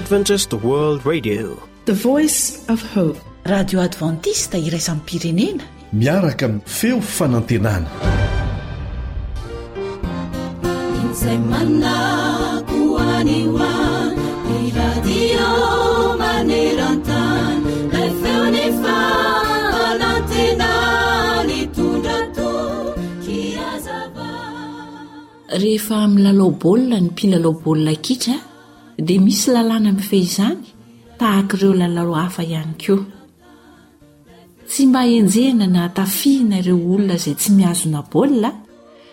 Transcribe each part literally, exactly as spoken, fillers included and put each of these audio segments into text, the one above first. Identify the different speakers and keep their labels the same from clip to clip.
Speaker 1: Adventist World Radio,
Speaker 2: the voice of hope.
Speaker 3: Radio Adventiste iraisam-pirenena
Speaker 4: miaraka amin'ny feo fanantenana.
Speaker 5: Izay manako any ho any, ny radio maneran-tany, lay feon'ny fanantenana nitondra toky hazava.
Speaker 3: Rehefa milalao baolina ny mpilalao baolina kitra dia misy lalàna mifehy izany tahaka ireo lalao hafa ihany koa. Tsy mba enjehina na tafihina ireo olona izay tsy mihazona baolina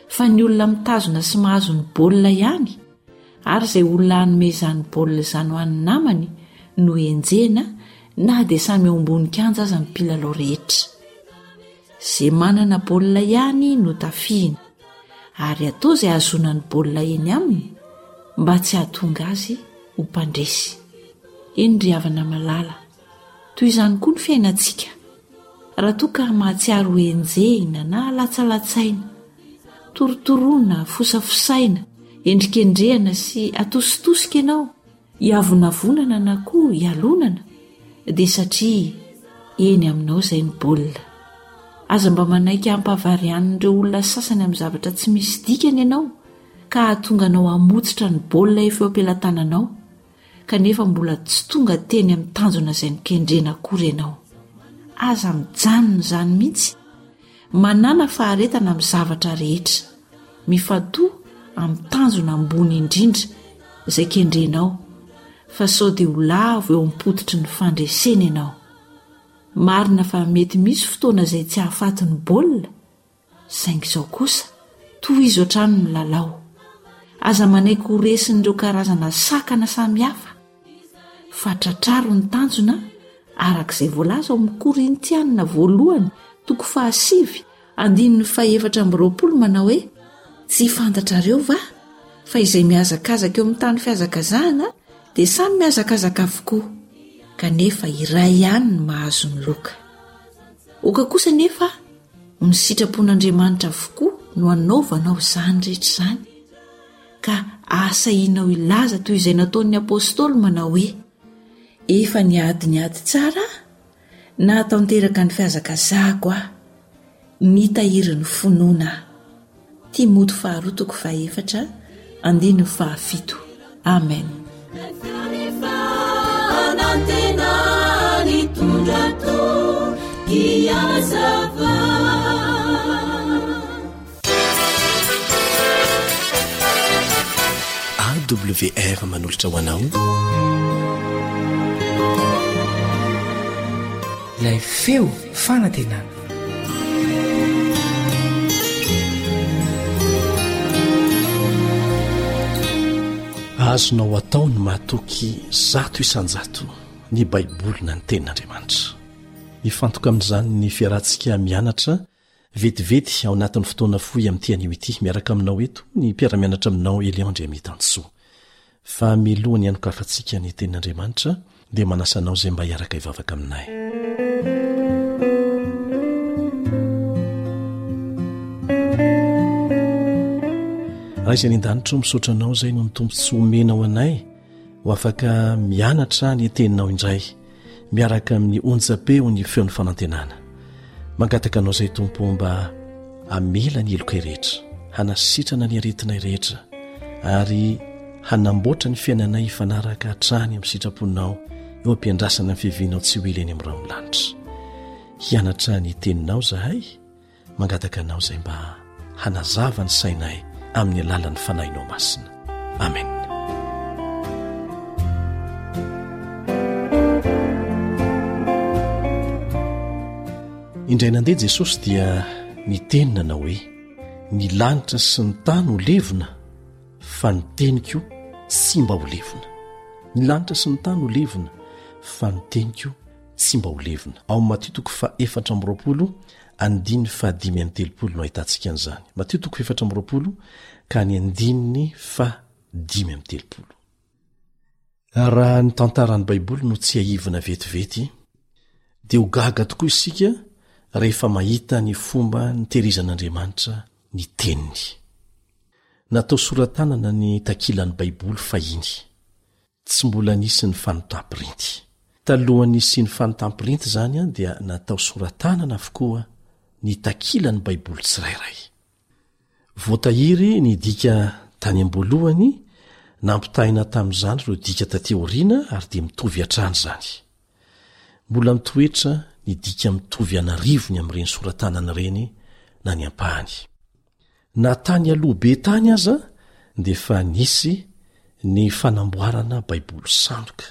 Speaker 3: fa ny olona mitazona sy mahazo ny baolina ihany ary izay olona hanome izany baolina izany ho an'ny namany no enjehina na dia samy eo ambony kianja aza ny mpilalao rehetra. Izay manana baolina ihany no tafihina ary atao izay hahazoana ny baolina eny aminy mba tsy hahatonga azy ho mpandresy. Eny ry havana malala, toy izany koa ny fiainantsika. Raha toa ka mahatsiaro ho enjehina na latsalatsaina, torotoroana, fosafosaina, endrikendrehana sy atositosika ianao, hiavonavonana na koa hialonana, dia satria eny aminao izay ny baolina. Aza mba manaiky hampavarianin'ireo olona sasany amin'ny zavatra tsy misy dikany ianao ka hahatonga anao hamotsitra ny baolina efa eo am-pelatananao, kanefa mbola tsy tonga teny amin'ny tanjona izay nokendrena akory ianao. Aza mijanona izany mihitsy. Manàna faharetana amin'ny zavatra rehetra. Mifantoha amin'ny tanjona ambony indrindra izay kendrenao, fa sao dia ho lavo eo am-pototry ny fandresena ianao. Marina fa mety misy fotoana izay tsy hahafaty ny baolina, saingy izao kosa, tohizo hatrany ny lalao. Aza manaiky ho resin'ireo karazana sakana samihafa, fa tratraro ny tanjona araka izay voalaza ao amin'ny Korintiana voalohany toko fahasivy andininy fahefatra amby roapolo manao hoe: tsy fantatrareo va fa izay mihazakazaka eo amin'ny tany fihazakazahana dia samy mihazakazaka avokoa, kanefa iray ihany ny mahazo ny loka. Oka kosa nefa ho ny sitrapon'Andriamanitra avokoa no anaovanao izany rehetra izany, ka ahasahianao hilaza toy izay nataon'ny apôstôly manao hoe: efa niady ny ady tsara aho, nahatanteraka ny fihazakazahako aho, nitahiry ny finoana aho. Timoty faharoa toko fahefatra andininy fahafito. Amen.
Speaker 4: A W R manolotra ho anao
Speaker 6: ilay feo fanantenana.
Speaker 4: Azonao atao ny matoky zato isan-jato ny Baiboly na ny Tenin'Andriamanitra. Hifantoka amin'izany ny fiarahantsika mianatra vetivety ao anatin'ny fotoana fohy amin'ity anio ity. Miaraka aminao eto ny mpiara-mianatra aminao Elion Andriamitansoa. Fa milohan'ny hanokafantsika ny Tenin'Andriamanitra dia manasa anao izay mba hiaraka hivavaka aminay. Ray izay any an-danitra, misaotra anao izay noho ny tombontsoa omenao anay ho afaka mianatra ny teninao indray miaraka amin'ny onjam-peo ny feon'ny fanantenana. Mangataka anao izay Tompo mba hamela ny helokay rehetra, hanasitrana ny aretinay rehetra ary hanamboatra ny fiainanay hifanaraka hatrany amin'ny sitraponao eo am-piandrasana ny fiavianao tsy ho ela eny amin'ny rahon'ny lanitra. Hianatra ny teninao izahay, mangataka anao izay mba hanazava ny sainay amin'ny alalan'ny Fanahinao Masina. Amen. Indray nandeha Jesosy dia niteny nanao hoe: ny lanitra sy ny tany ho levona, fa ny teniko tsy mba ho levona. Ny lanitra sy ny tany ho levona, fa ny teniko tsy mba ho levona. Ao amin'ny Matio toko faha-efatra amby roapolo andininy fahadimy amby telopolo no ahitantsika an'izany. Matio toko fahefatra amby roapolo ka ny andininy fahadimy amby telopolo. Raha ny tantaran'ny Baiboly no tsiahivina vetivety, dia ho gaga tokoa isika rehefa mahita ny fomba nitehirizan'Andriamanitra ny Teniny. Natao sora-tanana ny takilan'ny Baiboly fahiny. Tsy mbola nisy ny fanontam-printy. Talohan'ny nisian'ny fanontam-printy izany dia natao sora-tanana avokoa ny takilan'ny Baiboly tsirairay. Voatahiry ny dika tany am-boalohany, nampitahaina tamin'izany ireo dika taty aoriana ary dia mitovy hatrany izany. Mbola mitoetra ny dika mitovy an'arivony amin'ireny sora-tanana ireny na ny ampahany. Na tany aloha be tany aza dia efa nisy ny fanamboarana Baiboly sandoka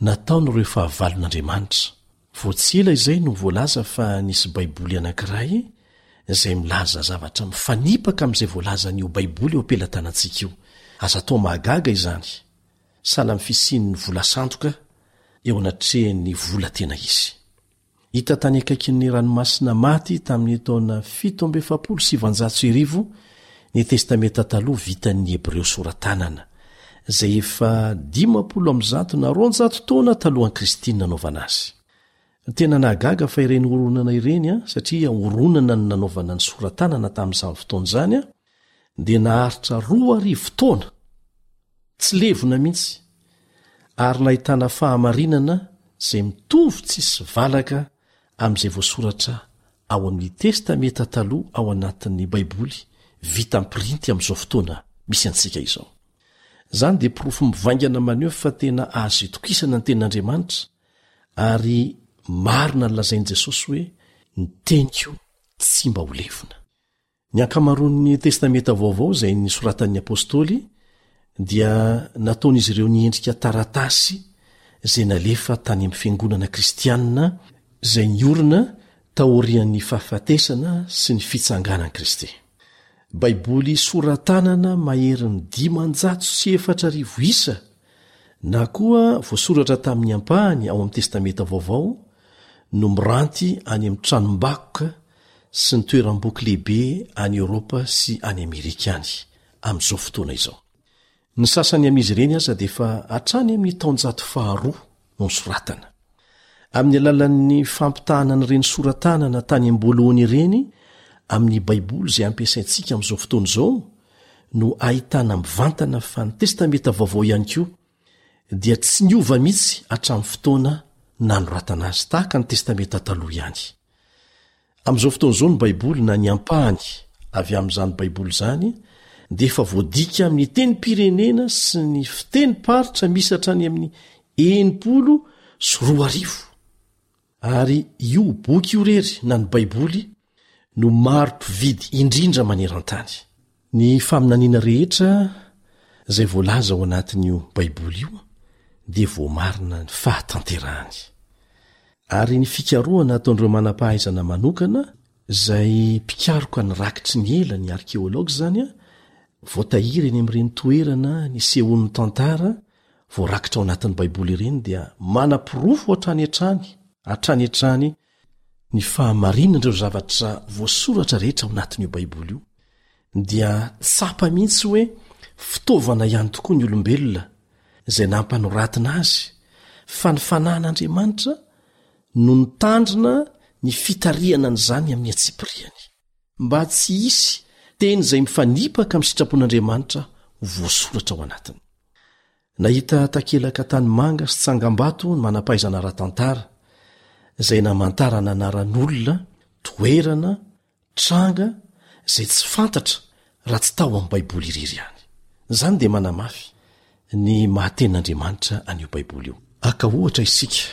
Speaker 4: nataon'ireo fahavalon'Andriamanitra. Vao tsy ela izay no voalaza fa nisy Baiboly anankiray izay milaza zavatra mifanipaka amin'izay voalazan'io Baiboly eo am-pelatanantsika io. Aza atao mahagaga izany, sahala amin'ny fisian'ny vola sandoka eo anatrehan'ny vola tena izy. Hita tany akaikin'ny Ranomasina Maty tamin'ny taona fito amby efapolo sy sivanjato sy arivo ny Testamenta Taloha vitan'ny Hebreo sora-tanana, izay efa dimampolo amby zato na roanjato taona talohan'i Kristy ny nanaovana azy. Tena nahagaga fa ireny horonana ireny, satria horonana no nanaovana ny sora-tanana tamin'izany fotoana izany, dia naharitra roa arivo taona, tsy levona mihitsy, ary nahitana fahamarinana izay mitovy tsisy valaka amin'izay voasoratra ao amin'ny Testamenta Taloha ao anatin'ny Baiboly vita am-pirinty amin'izao fotoana misy antsika izao. Izany dia porofo mivaingana maneho fa tena azo itokisana ny Tenin'Andriamanitra ary marina ny lazain'i Jesosy hoe ny teniko tsy mba ho levona. Ny ankamaroan'ny Testamenta Vaovao izay nosoratan'ny Apostoly dia nataon'izy ireo niendrika taratasy izay nalefa tany amin'ny fiangonana kristianina izay niorina taorian'ny fahafatesana sy ny fitsanganan'i Kristy. Baiboly sora-tanana maherin'ny dimanjato sy efatra arivo isa na koa voasoratra tamin'ny ampahany ao amin'ny Testamenta Vaovao no miranty any amin'ny tranombakoka sy ny toeram-boky lehibe any Eoropa sy any Amerika any, amin'izao fotoana izao. Ny sasany amin'izy ireny aza dia efa hatrany amin'ny taonjato faharoa no nosoratana. Amin'ny alalan'ny fampitahana an'ireny sora-tanana tany am-boalohany ireny amin'ny Baiboly izay ampiasaintsika amin'izao fotoana izao no ahitana mivantana fa ny Testamenta Vaovao ihany koa dia tsy niova mihitsy hatramin'ny fotoana nanoratana azy, tahaka ny Testamenta Taloha ihany. Amin'izao fotoana izao ny Baiboly na ny ampahany avy amin'izany Baiboly izany dia efa voadika amin'ny tenim-pirenena sy ny fitenim-paritra misy hatrany amin'ny enimpolo sy roa arivo. Ary io boky io irery na ny Baiboly no maro mpividy indrindra maneran-tany. Ny faminaniana rehetra izay voalaza ao anatin'io Baiboly io dia voamarina ny fahatanterahany. Ary ny fikarohana ataon'ireo manam-pahaizana manokana izay mpikaroka ny rakitry ny ela, ny arkeology izany, voatahiry eny amin'ireny toerana nisehoan'ny tantara voarakitra ao anatin'ny Baiboly ireny dia manaporofo hatrany hatrany, hatrany hatrany ny fahamarinan'ireo zavatra voasoratra rehetra ao anatin'io Baiboly io. Dia tsapa mihitsy hoe fitaovana ihany tokoa ny olombelona izay nampanoratina azy, fa ny fanahin'Andriamanitra no nitandrina ny fitarihana an'izany amin'ny antsipiriany, mba tsy hisy teny izay mifanipaka amin'ny sitrapon'Andriamanitra ho voasoratra ao anatiny. Nahita takelaka tanimanga sy tsangambato ny manam-pahaizana ara-tantara, izay namantarana anaran'olona, toerana, tranga izay tsy fantatra raha tsy tao amin'ny Baiboly irery ihany. Izany dia manamafy ny maha tenin'Andriamanitra an'io Baiboly io. Haka ohatra isika.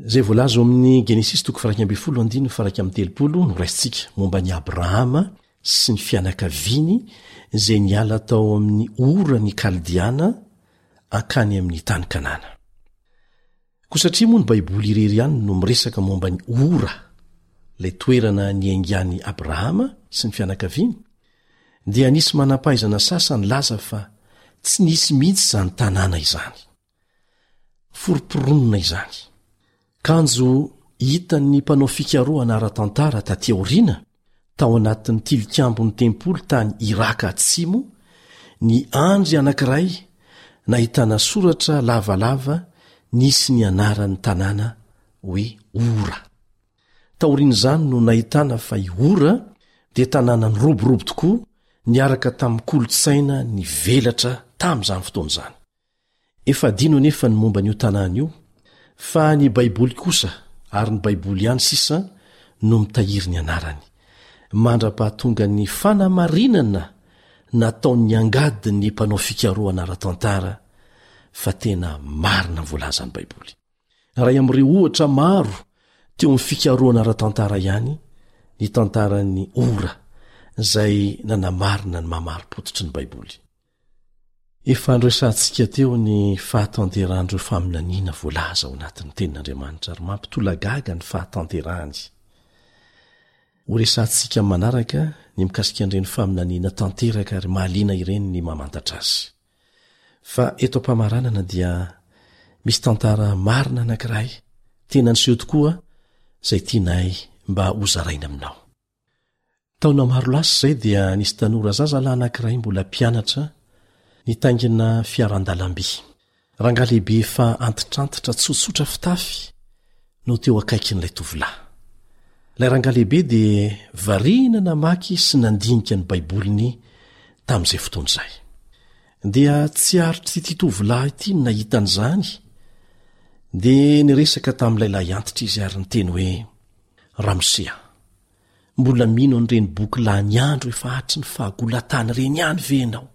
Speaker 4: Izay voalaza ao amin'ny Genesisy toko faha-iraika ambin'ny folo andininy faha-iraika amby telopolo no raisintsika momba an'i Abrahama sy ny fianakaviany izay niala tao amin'ny Ora ny Kaldeana hankany amin'ny tany Kanana. Koa satria moa ny Baiboly irery ihany no miresaka momba an'i Ora, ilay toerana niaingan'i Abrahama sy ny fianakaviany, dia nisy manam-pahaizana sasany nilaza fa tsy nisy mihitsy izany tanàna izany. Foromporonina izany. Kanjo hitan'ny mpanao fikarohana ara-tantara tatỳ aoriana tao anatin'ny tilikambon'ny tempoly tany Iraka Atsimo ny andry anankiray nahitana soratra lavalava nisy ny anaran'ny tanàna hoe Ora. Taorian'izany no nahitana fa i Ora dia tanàna niroborobo tokoa niaraka tamin'ny kolontsaina nivelatra tamin'izany fotoana izany. Efa adino anefa ny momba an'io tanàna io, fa ny Baiboly kosa, ary ny Baiboly ihany sisa, no mitahiry ny anarany, mandra-pahatongan'ny fanamarinana nataon'ny angadin'ny mpanao fikarohana ara-tantara fa tena marina ny voalazan'ny Baiboly. Iray amin'ireo ohatra maro teo amin'ny fikarohana ara-tantara ihany ny tantaran'ny Ora, izay nanamarina ny maha marim-pototry ny Baiboly. Efa noresahantsika teo ny fahatanterahan'ireo faminaniana voalaza ao anatin'ny Tenin'Andriamanitra ary mampitolagaga ny fahatanterahany. Horesahantsika amin'ny manaraka ny mikasika an'ireny faminaniana tanteraka ary mahaliana ireny ny mamantatra azy. Fa eto am-pamaranana dia misy tantara marina anankiray tena niseho tokoa izay tianay mba hozaraina aminao. Taona maro lasa izay dia nisy tanora zazalahy anankiray mbola mpianatra nitaingina fiaran-dalamby. Rangahy lehibe efa antitrantitra tsotsotra fitafy no teo akaikin'ilay tovolahy. Ilay rangahy lehibe dia variana namaky sy nandinika ny Baiboliny tamin'izay fotoana izay. Dia tsy aritr'ity tovolahy ity ny nahita an'izany, dia niresaka tamin'ilay lahiantitra izy ary niteny hoe, Ramose a! Mbola mino an'ireny boky lany andro efa hatry ny fahagola-tany ireny ihany ve ianao?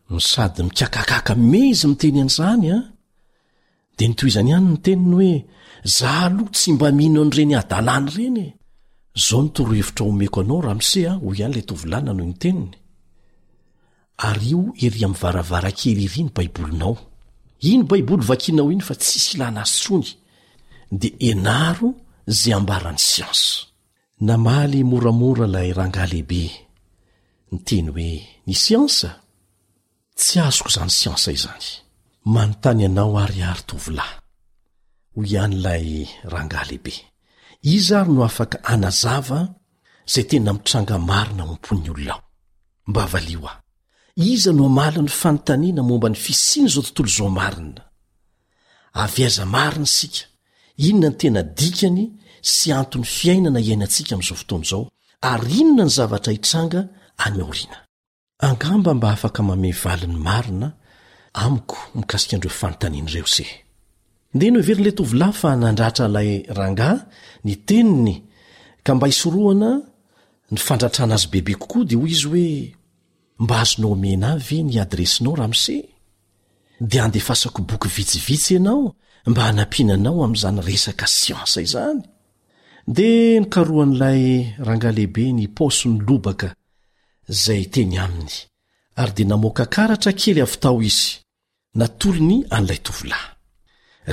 Speaker 4: No sady mikakakaka me izy miteny an'izany an! Dia notohizany ihany ny teniny hoe, Za aloha tsy mba mino an'ireny hadalana ireny e! Izao no torohevitra omeko anao ramose a, hoy ihany ilay tovolahy nanohy ny teniny. Ario ery amin'ny varavarankely ery ny baibolinao. Iny baiboly vakianao iny fa tsisy ilana azy intsony. Dia ianaro izay ambaran'ny siansa. Namaly moramora ilay rangahy lehibe, niteny hoe, Ny siansa? Tsy azoko izany siansa izany. Manontany anao ary aho ry tovolahy, hoy ihany ilay rangahy lehibe. Iza ary no afaka hanazava izay tena mitranga marina ao am-pon'ny olona ao? Mba valio aho. Iza no hamaly ny fanontaniana momba ny fisian'izao tontolo izao marina? Avy aiza marina isika? Inona ny tena dikany sy anton'ny fiainana iainantsika amin'izao fotoana izao, ary inona ny zavatra hitranga any aoriana? Angamba mba afaka manome valiny marina amiko mikasika an'ireo fanontaniana ireo se. Dia noheverin'ilay tovolahy fa nandratra ilay rangahy ny teniny ka mba hisorohana ny fandratrana azy bebe kokoa dia hoy izy hoe, Mba azonao omena ahy ve ny adiresinao ramose? Dia handefasako boky vitsivitsy ianao mba hanampiana anao amin'izany resaka siansa izany. Dia nokarohan'ilay rangahy lehibe ny paosiny lobaka izay teny aminy, ary dia namoaka karatra kely avy tao izy, natolony an'ilay tovolahy.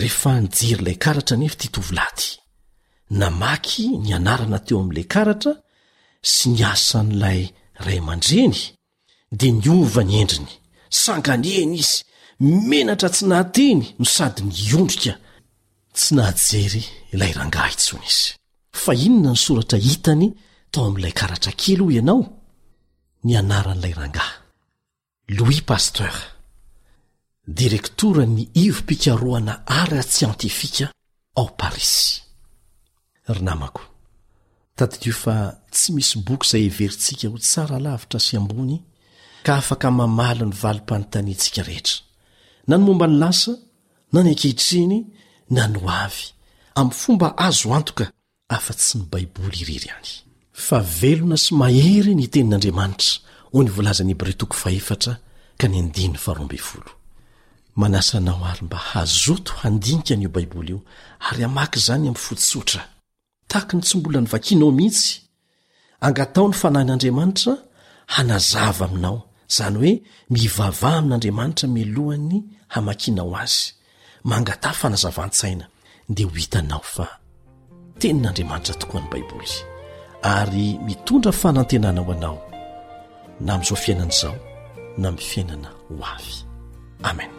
Speaker 4: Rehefa nijery ilay karatra anefa ity tovolahy ity, namaky ny anarana teo amin'ilay karatra sy ny asan'ilay ray aman-dreny, dia niova ny endriny, sanganehana izy, menatra tsy nahateny no sady niondrika, tsy nahajery ilay rangahy intsony izy. Fa inona ny soratra hitany tao amin'ilay karatra kely hoy ianao? Ny anaran'ilay rangahy. Louis Pasteur, direktoran'ny ivom-pikarohana ara-tsiantifika ao Parisy. Ry namako, tadidio fa tsy misy boky izay heverintsika ho tsara lavitra sy ambony ka afaka mamaly ny valim-panontaniantsika rehetra, na ny momba ny lasa, na ny ankehitriny, na ny hoavy, amin'ny fomba azo antoka afa-tsy ny Baiboly irery ihany. Fa velona sy mahery ny Tenin'Andriamanitra, hoy ny voalazan'ny Hebreo toko fahefatra ka ny andininy faharoa ambin'ny folo. Manasa anao àry mba hazoto handinika an'io Baiboly io ary hamaky izany amin'ny fo tsotra, tahaky ny tsy mbola novakinao mihitsy. Angataho ny Fanahin'Andriamanitra hanazava aminao, izany hoe mivavaha amin'Andriamanitra mialohan'ny hamakianao azy. Mangataha fanazavan-tsaina, dia ho hitanao fa Tenin'Andriamanitra tokoa ny Baiboly, ary mitondra fanantenana ho anao, na amin'izao fiainana izao, na amin'ny fiainana ho avy. Amen.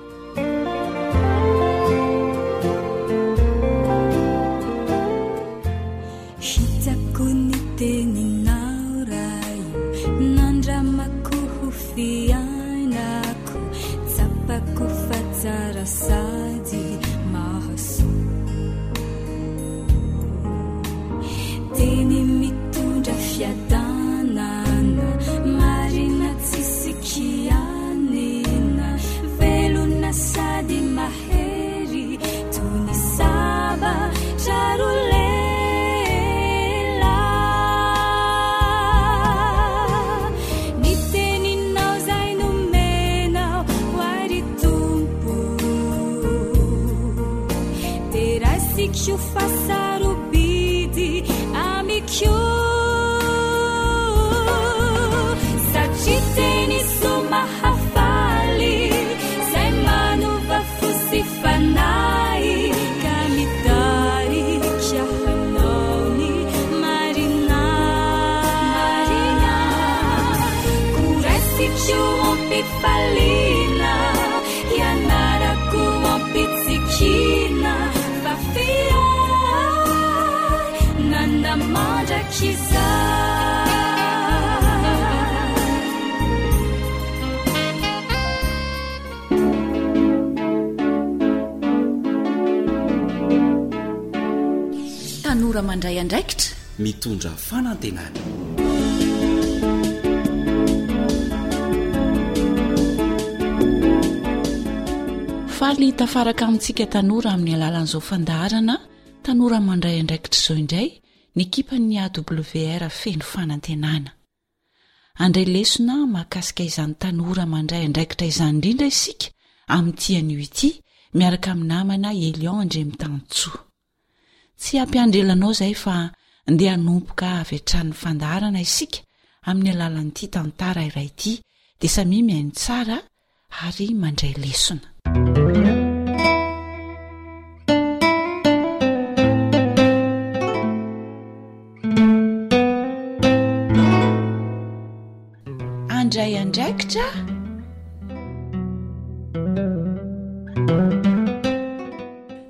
Speaker 5: Hitako ny teninao Ray, nandramako ho fiainako, tsapako fa tsara sady mahasoa. Teny mitondra fiadanana, marina tsisy kianina, velona Teniko Satria teny soa mahafaly Zay manova fo sy fanahy Ka mitarika hanao ny marina Koraisiko am-pifaliana Ianarako am-pitsikiana Fa fiainana mandrakizay.
Speaker 3: Tanora mandray andraikitra
Speaker 7: Mitondra fanantenana.
Speaker 3: Faly tafaraka amintsika tanora amin'ny alalan'izao fandaharana tanora mandray andraikitra izao indray ny ekipan'ny A W R feno fanantenana. Andray lesona mahakasika izany tanora mandray andraikitra izany indrindra isika amin'ity anio ity miaraka amin'ny namana Elion Andriamitansoa. Tsy hampiandry ela anao izay fa ndeha hanomboka avy hatrany fandaharana isika amin'ny alalan'ity tantara iray ity dia samia mihaino tsara ary mandray lesona. Andray andraikitra.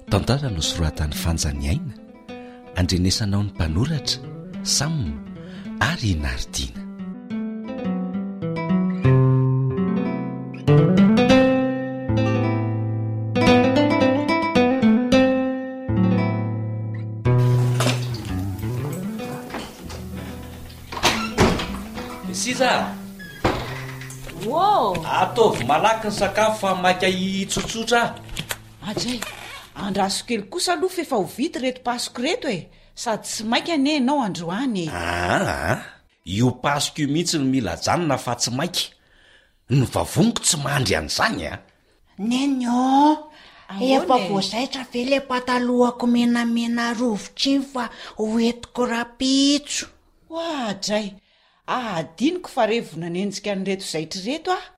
Speaker 7: Tantara nosoratan'ny Fanjany Aina, andrenesanao ny mpanoratra Sam ary Nardina. Sisa.
Speaker 3: Ô!
Speaker 7: Ataovy malaky ny sakafo fa maika hitsotsotra.
Speaker 3: Adray, andraso kely kosa aloha fa efa ho vita ireto pasoko ireto e. Sady tsy maika anie ianao androany e.
Speaker 7: Aa, io pasoko io mihitsy no mila ajanona fa tsy maika. Ny vavoniko tsy mandry an'izany a.
Speaker 8: Neny ô,
Speaker 3: Ahoana
Speaker 8: efa
Speaker 3: e?
Speaker 8: voazaitra ve le patalohako menamena rovitra iny fa hoentiko rapitso?
Speaker 3: Oadray, adinoko fa revo nanenjika an'ireto zaitra ireto aho.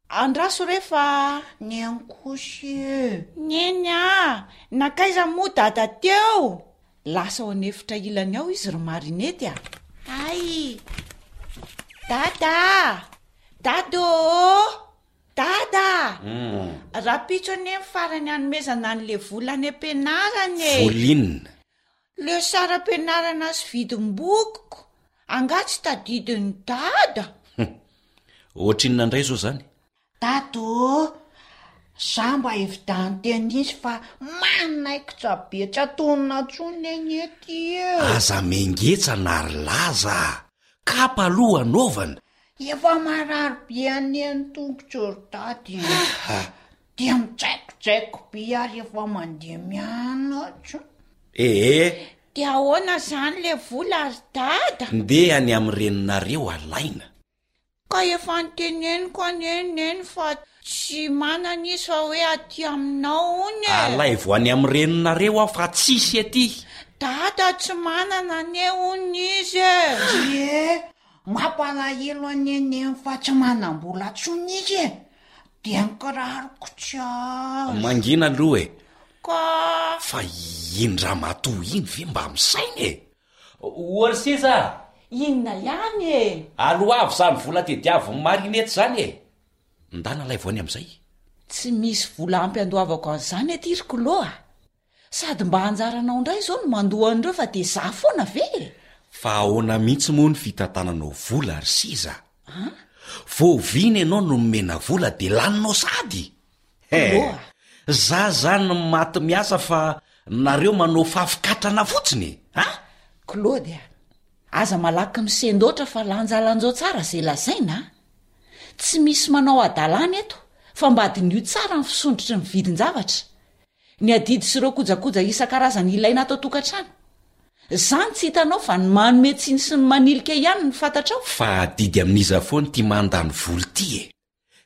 Speaker 3: Andraso re fa
Speaker 8: Neny kosa e.
Speaker 3: Neny a, nankaiza moa dada teo? Lasa ao an'efitra ilany ao izy ry Marinety a. Ay! Dada! Dada ô! Dada! Rapitso anie ny farany hanomezana an'le vola any am-pianarana e.
Speaker 7: Volinina.
Speaker 3: Le saram-pianarana sy vidim-bokiko. Angaha tsy tadidin'ny dada?
Speaker 7: Ohatrinona indray izao izany?
Speaker 8: Dada ô, za mba evidany tenisy fa manaikitra be tsy atonona intsony anie ty e.
Speaker 7: Aza mengetsa na ry laza. Kapa aloha anaovana.
Speaker 8: Efa marary be anie ny tongotro ry dada e. Dia mitsaikojaiko be ary efa mandeha mianatra.
Speaker 7: Ee,
Speaker 3: Dia ahoana izany le vola ry dada?
Speaker 7: ndeha any amin'ny reninareo alaina.
Speaker 3: Ka efa niteneniko anie neny fa tsy manana izy fa hoe aty aminao hono e.
Speaker 7: Alaivo any amin'ny reninareo aho fa tsisy aty.
Speaker 3: Dada tsy manana anie hono izy e.
Speaker 8: Ie, mampalahelo anie neny fa tsy manam-bola intsony izy e. Dia ny kiraroko tsy azo.
Speaker 7: Mangina aloha e.
Speaker 3: Ka
Speaker 7: Fa iny ramatoa iny ve mba misaina e? Ory sisa,
Speaker 3: inona ihany e?
Speaker 7: aloavy izany vola tediavin'ny Marinety izany e. Ndana alaivo any amin'izay.
Speaker 3: Tsy misy vola ampy andoavako an'izany aty ry Kolo a. Sady mba anjaranao indray izao no mandoa an'ireo fa dia za foana ve e?
Speaker 7: Fa ahoana mihitsy moa ny fitantananao vola ry sisa? Voavina ianao no nomena vola dia laninao sady. He,
Speaker 3: Kolo a.
Speaker 7: za zany maty miasa fa nareo manao fafikatrana fotsiny e. Ha?
Speaker 3: Claude a, aza malaky misendoatra fa lanjalanjao tsara izay lazaina a. Tsy misy manao hadalana eto fa mba diniho tsara ny fisondrotry ny vidin-javatra. Ny adidy sy ireo kojakoja isan-karazany ilaina ato an-tokantrano. Izany tsy hitanao fa ny manome tsiny sy ny manilika ihany ny fantatrao.
Speaker 7: Fa adidy amin'iza foana ity mandany vola ity e.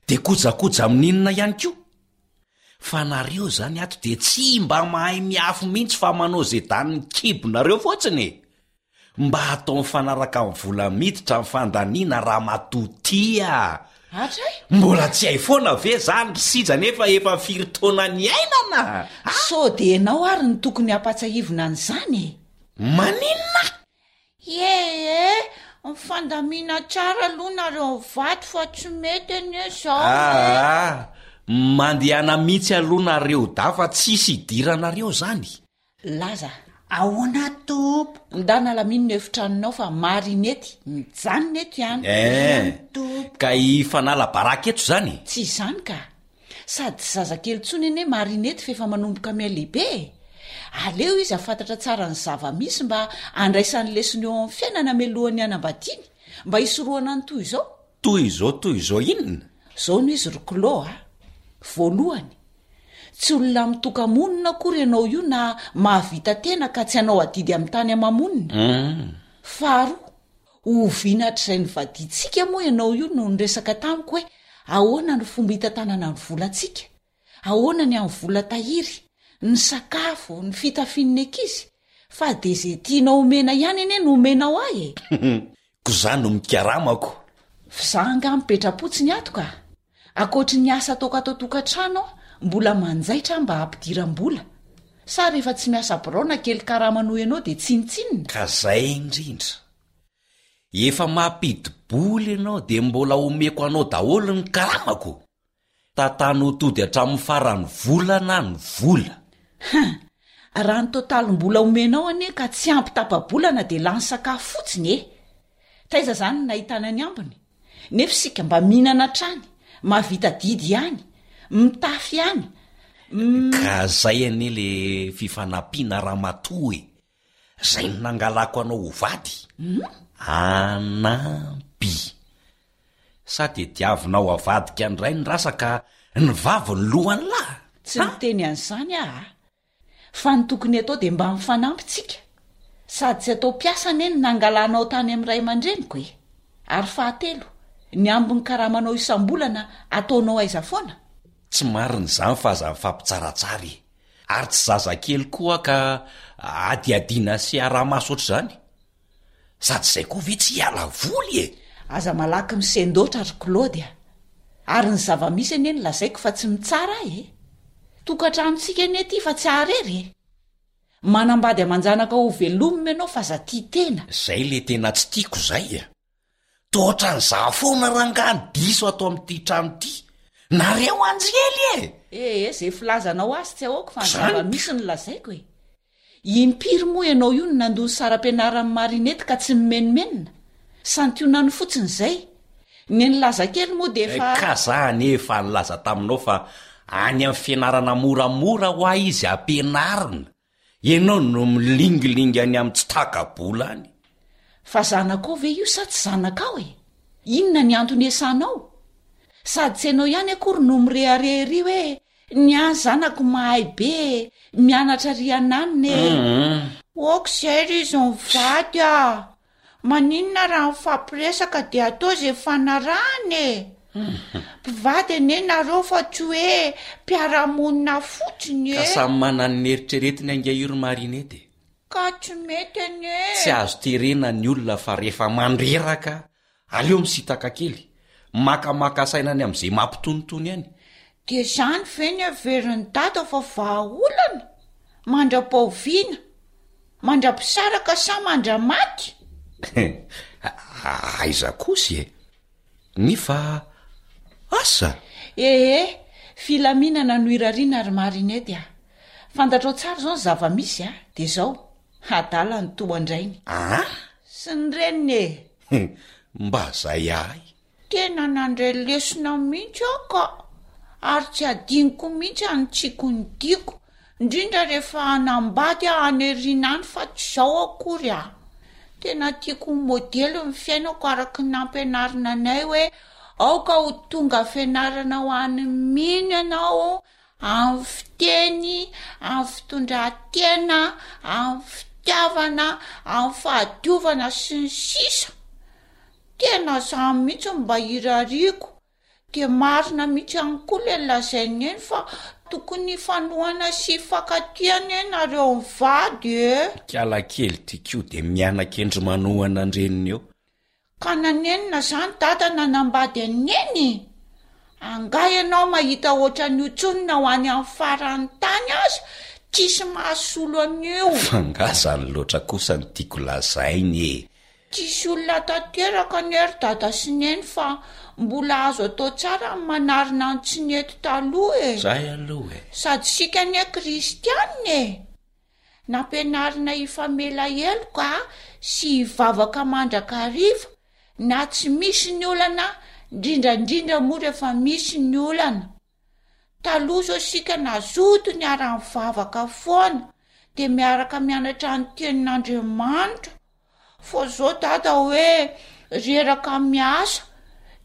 Speaker 7: Dia kojakoja amin'inona ihany koa. Fa nareo zany ato dia tsy mba mahay miafy mihitsy fa manao izay danin'ny kibonareo fotsiny e. Mba atao mifanaraka amin'ny vola miditra ny fandaniana ramatoa ty a!
Speaker 9: Hatray?
Speaker 7: Mbola tsy hay foana ve zany ry Sija nefa efa firy taona niainana?
Speaker 9: Sao dia ianao ary no tokony hampatsiahivina an'izany e?
Speaker 7: Maninona?
Speaker 8: Ie e, mifandamina tsara aloha nareo mivady fa tsy mety anie zao e.
Speaker 7: Aa, mandehana mihitsy aloha nareo dahy fa tsisy idiranareo zany.
Speaker 9: Laza.
Speaker 8: Ahoana tompoko?
Speaker 9: Ndana alamino ny efitranonao fa Marinety mijanona eto ihany.
Speaker 7: Eh, ka hifanala baraka eto izany?
Speaker 9: Tsy izany ka. Sady tsy zazakely intsony anie Marinety fa efa manomboka mihalehibe e. Aleo izy hahafantatra tsara ny zava-misy mba handraisany lesona eo amin'ny fiainana mialohan'ny hanambadiany, mba hisorohana ny toy izao.
Speaker 7: Toy izao toy izao inona?
Speaker 9: Izao no izy ry Clo a. Voalohany, tsy olona mitoka-monina akory ianao io na mahavita tena ka tsy hanao adidy amin'ny tany ama-monina. Faharoa, oviana hatrizay nivadiantsika moa ianao io no niresaka tamiko hoe ahoana ny fomba hitantanana ny volantsika, ahoana ny amin'ny vola tahiry, ny sakafo, ny fitafian'ny ankizy, fa dia izay tianao omena ihany anie no omenao ahy e!
Speaker 7: Ko za no mikaramako.
Speaker 9: F'izaho angaha mipetra-potsiny ato ka! Ankoatry ny asa ataoko ato an-tokantrano aho, mbola manjaitra aho mba hampidiram-bola. Sa rehefa tsy miasa birao na kely karama noho ianao dia tsinontsinona?
Speaker 7: Ka zay indrindra. Efa mampidi-bola ianao dia mbola omeko anao daholo ny karamako? Tantano ho tody hatramin'ny faran'ny volana ny vola.
Speaker 9: Hum! Raha ny totalim-bola omenao anie ka tsy ampy tapa-bolana dia lany sakafo fotsiny e! Taiza izany no nahitana ny ambiny? Nefa isika mba mihinana hatrany, mahavita adidy ihany, mitafy ihany, m.
Speaker 7: Ka zay anie le fifanampiana ramatoa e! Zay no nangalako anao ho vady. Hanampy. Sa tediavinao avadika indray ny rasa ka ny vavy ny lohan'ny lahy?
Speaker 9: Tsy niteny an'izany aho a! Fa ny tokony atao dia mba mifanampy tsika. Sady tsy atao mpiasa anie ny nangalanao tany amin'ny ray aman-dreniko e! Ary fahatelo, ny ambin'ny karamanao isam-bolana ataonao aiza foana?
Speaker 7: Tsy marina izany fa aza mifampitsaratsara e! Ary tsy zazakely koa aho ka hadihadiana sy araha-maso ohatr'izany. Sady izay koa ve tsy hiala voly e!
Speaker 9: Aza malaky misendoatra ry Claude a! Ary ny zava-misy anie no lazaiko fa tsy mitsara ahy e! Tokantranontsika anie ity fa tsy aharery e! Manambady aman-janaka ho velomina ianao fa aza tia tena.
Speaker 7: Zay le tena tsy tiako zay a! Toa ohatran'izaho foana rangaha ny diso ato amin'ity trano ity! Nareo anjely e!
Speaker 9: Ee, ze filazanao azy tsy ahoako fa ny
Speaker 7: Zany
Speaker 9: zava-misy no lazaiko e! Impiry moa ianao io no nandoa ny saram-pianaran'i Marinette ka tsy nimenomenona? Santionany fotsiny izay. Ny nilaza kely moa dia efa.
Speaker 7: Ka za anie efa nilaza taminao fa any amin'ny fianarana moramora hoa izy ampianarina. Ianao no milingilingy any amin'ny tsy taka-bola any.
Speaker 9: Fa zanakao ve io sa tsy zanakao e? Inona ny antony iasanao? Sady tsy ianao ihany akory no mirehareha ery hoe Ny ahy zanako mahay be e, mianatra ry ananona e.
Speaker 8: Ok zay ry izy mivady a! Maninona raha mifampiresaka dia atao izay fanarahana e! Mpivady anie nareo fa tsy hoe mpiara-monina fotsiny
Speaker 7: Ka
Speaker 8: e!
Speaker 7: samy manana ny eritreretiny ange io ry Marinette e!
Speaker 8: Ka tsy mety anie e!
Speaker 7: Tsy azo terena ny olona fa rehefa mandreraka Aleo misintaka kely, makamaka saina any amin'izay mampitonitony any.
Speaker 8: Dia izany ve ny heverin'i Dada fa vahaolana? Mandra-pahoviana? Mandra-pisaraka sa mandra-maty?
Speaker 7: Aiza kosa e! Nefa asa?
Speaker 9: Ee, filaminana no irariana ry Marinette a! Fantatrao tsara izao ny zava-misy a! Dia izao, adala ny toa an-drainy.
Speaker 7: Aa?
Speaker 9: Sy ny reniny e!
Speaker 7: Mba zay ahy.
Speaker 8: Tena nandray lesona mihitsy aho ka! Ary tsy adinoko mihitsy hanitsiako ny diako, indrindra rehefa hanambady aho any aoriana any fa tsy izao akory a! Tena tiako ho modely ny fiainako araka ny nampianarina anay hoe aoka ho tonga fianarana ho an'ny mino ianao amin'ny fiteny, amin'ny fitondran-tena, amin'ny fitiavana, amin'ny fahadiovana sy ny sisa Tena zany mihitsy no mba irariako, Dia marina mihitsy ihany koa ilay lazain'i Neny fa tokony hifanohana sy hifankatia anie nareo mivady e!
Speaker 7: Ikala kely ty ko dia miana-kendry manohana an-dreniny eo.
Speaker 8: Ka nanenina zany dada nanambady an'i Neny? Angaha ianao mahita ohatran'io tsony na ho any amin'ny faran'ny tany aza tsisy mahasolo an'io.
Speaker 7: Fa nga zany loatra kosa no tiako lazaina e!
Speaker 8: Tsisy olona tanteraka anie ry dada sy neny fa mbola azo atao tsara ny manarina ny tsy nety taloha e!
Speaker 7: Zay aloha e!
Speaker 8: Sady isika anie kristianina e! Nampianarina hifamela heloka sy hivavaka mandrakariva na tsy misy ny olana, indrindra indrindra moa rehefa misy ny olana. Taloha zao isika nazoto niara-nivavaka foana dia miaraka mianatra ny tenin'Andriamanitra. Fa zao dada hoe reraka miasa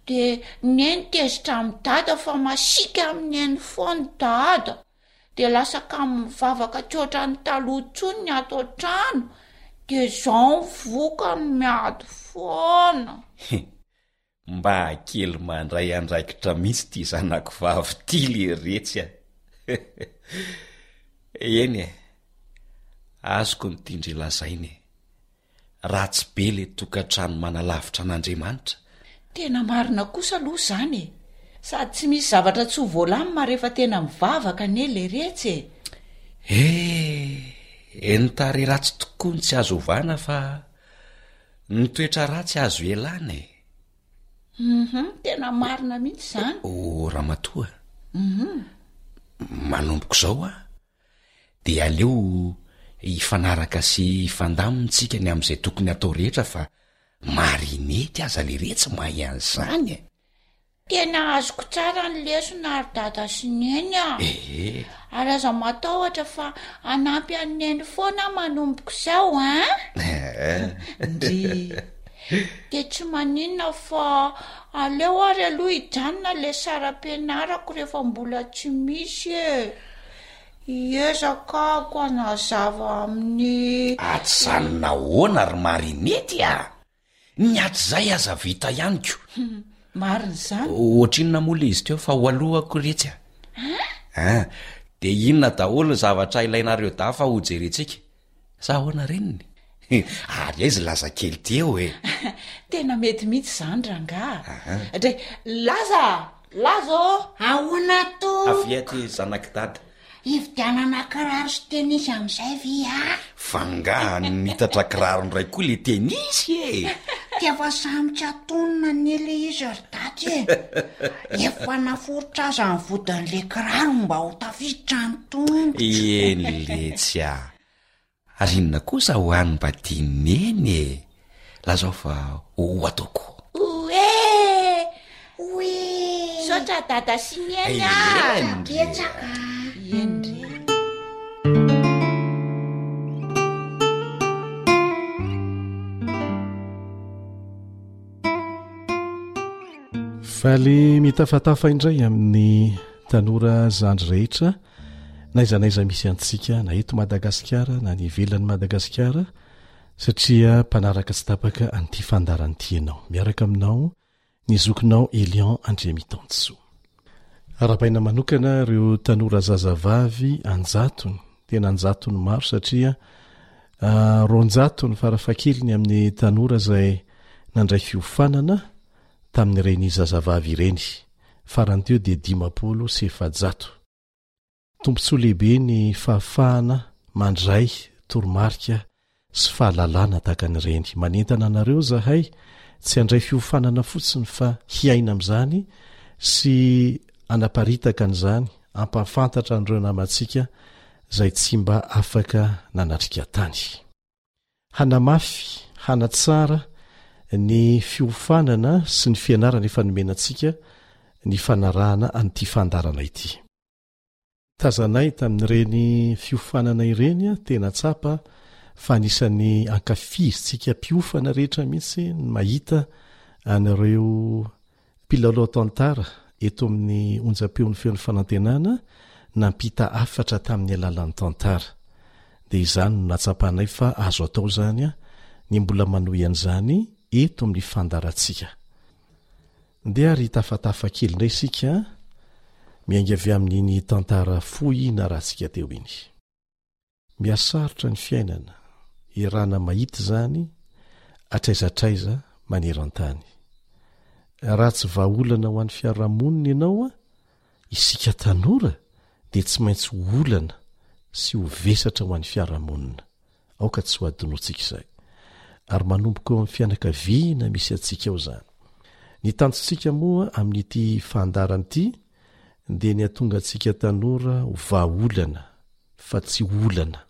Speaker 8: de neny tezitra amin'i dada fa masiaka amin'i neny foana dada de lasa kamo mivavaka tsy ohatran'ny taloha intsony ny ato an-trano de zao ny vokany miady foana.
Speaker 7: Mba kely mandray andraikitra mihitsy ity zanako vavy ity leretsy a! Eny e, azoko ny tian-dry lazaina e! Ratsy be le tokantrano manalavitra an'Andriamanitra.
Speaker 9: Tena marina kosa aloha izany e! Sady tsy misy zavatra tsy ho voalamina rehefa tena mivavaka anie leretsy e!
Speaker 7: Eh! Ny tarehy ratsy tokoa no tsy azo ovana fa ny toetra ratsy azo ialana e!
Speaker 8: Hum, tena marina mihitsy izany.
Speaker 7: Oh, ramatoa.
Speaker 8: Hum.
Speaker 7: Manomboka izao aho dia aleo hifanaraka sy hifandamina tsika ny amin'izay tokony hatao rehetra fa Marinette aza leretsy mahay an'izany e!
Speaker 8: Tena azoko tsara ny lesona ry dada sy neny a!
Speaker 7: Ee.
Speaker 8: Ary aza matahotra fa hanampy an'i neny foana aho manomboka izao an!
Speaker 9: Ndry.
Speaker 8: Dia tsy maninona fa aleo ary aloha hijanona ilay saram-pianarako rehefa mbola tsy misy e! Hiezaka aho hanazava amin'ny.
Speaker 7: Ajanona ahoana ry Marinette a! Ny hatrizay aza vita ihany ko.
Speaker 9: Marina izany.
Speaker 7: Ohatrinona moa le izy teo fa ho alohako retsy a. An! De inona daholo ny zavatra ilainareo dahy fa ho jerentsika? Sa ahoana reniny? Ary aiza Laza kely ty eo e?
Speaker 9: Tena mety mihitsy izany rangaha. Dray, Laza! Laza ô!
Speaker 10: Ahoana tompoko?
Speaker 7: Avia aty zanak'i dada.
Speaker 10: Hividianana kiraro sy tenisy amin'izay ve ah?
Speaker 7: Fa nga nitatra kiraro indray koa le tenisy e?
Speaker 10: Dia efa samy tsy atonina anie le izy ry daty e! Efa naforitra aza ny vodin'le kiraro mba ho tafiditra ny tongotro.
Speaker 7: Eny letsy ah! Ary inona kosa ho an'i mba tian'i Neny e? Lazao fa ho ataoko.
Speaker 8: Oe!
Speaker 10: Oe!
Speaker 8: Misaotra Dada sy Neny a!
Speaker 7: Eny re.
Speaker 10: Betsaka.
Speaker 9: Eny re.
Speaker 4: Faly mitafatafa indray amin'ny tanora zandry rehetra na aiza na aiza misy antsika na eto Madagasikara na any ivelan'i Madagasikara satria mpanaraka tsy tapaka an'ity fandaharana ity ianao. Miaraka aminao ny zokinao Elion Andriamitansoa. Arahabaina manokana ireo tanora zazavavy anjatony, tena anjatony maro satria ah, roanjatony farafahakeliny amin'ny tanora izay nandray fiofanana tamin'ireny zazavavy ireny. Farany teo dia dimampolo sy efajato. Tombontsoa lehibe ny fahafahana mandray toromarika sy fahalalana tahaka an'ireny. Manentana anareo izahay tsy handray fiofanana fotsiny fa hiaina amin'izany sy hanaparitaka an'izany, hampahafantatra an'ireo namantsika izay tsy mba afaka nanatrika tany. Hanamafy, hanatsara ny fiofanana sy ny fianarana efa nomena antsika ny fanarahana an'ity fandaharana ity. Tazanay tamin'ireny fiofanana ireny, tena tsapa fa anisan'ny ankafizintsika mpiofana rehetra mihitsy ny mahita an'ireo mpilalao tantara eto amin'ny onjam-peon'ny Feon'ny Fanantenana nampita hafatra tamin'ny alalan'ny tantara. Dia izany no nahatsapanay fa azo atao izany ny mbola manohy an'izany eto amin'ny fandaharantsika. Ndeha ary hitafatafa kely indray isika, miainga avy amin'iny tantara fohy narahantsika teo iny. Mihasarotra ny fiainana, iarahana mahita izany hatraiza hatraiza maneran-tany. Raha tsy vahaolana ho an'ny fiarahamonina ianao, isika tanora dia tsy maintsy ho olana sy ho vesatra ho an'ny fiarahamonina. Aoka tsy ho adinoantsika izay. Ary manomboka eo amin'ny fianakaviana misy antsika ao izany. Ny tanjontsika moa amin'ity fandaharana ity dia ny hahatonga antsika tanora ho vahaolana fa tsy olana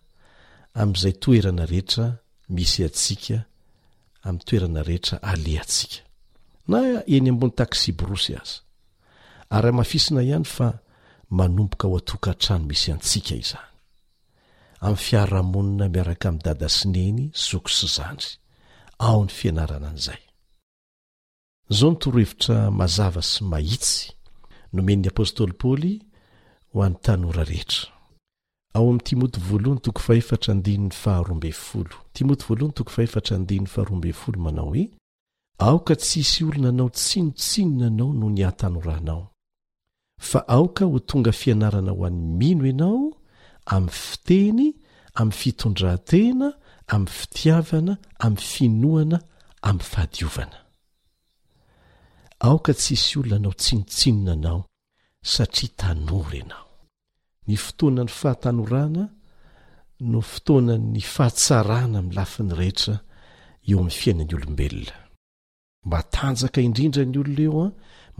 Speaker 4: amin'izay toerana rehetra misy antsika, amin'ny toerana rehetra alehantsika. Na eny ambony taksiborosy aza. Ary hamafisina ihany fa manomboka ao an-tokantrano misy antsika izany. Amin'ny fiarahamonina miaraka amin'i dada sy neny, zoky sy zandry. Ao ny fianarana an'izay. Izao ny torohevitra mazava sy mahitsy nomen'ny apostoly Paoly ho an'ny tanora rehetra. Ao amin'ny Timoty voalohany toko fahefatra andininy faharoa ambin'ny folo. Timoty voalohany toko fahefatra andininy faharoa ambin'ny folo manao hoe, Aoka tsy hisy olona hanao tsinontsinona anao noho ny hatanoranao, fa aoka ho tonga fianarana ho an'ny mino ianao amin'ny fiteny, amin'ny fitondran-tena, amin'ny fitiavana, amin'ny finoana, amin'ny fahadiovana. Aoka tsy hisy olona hanao tsinontsinona anao satria tanora ianao. Ny fotoanan'ny fahatanorana no fotoanan'ny fahatsarana amin'ny lafiny rehetra eo amin'ny fiainan'ny olombelona. Matanjaka indrindra ny olona eo,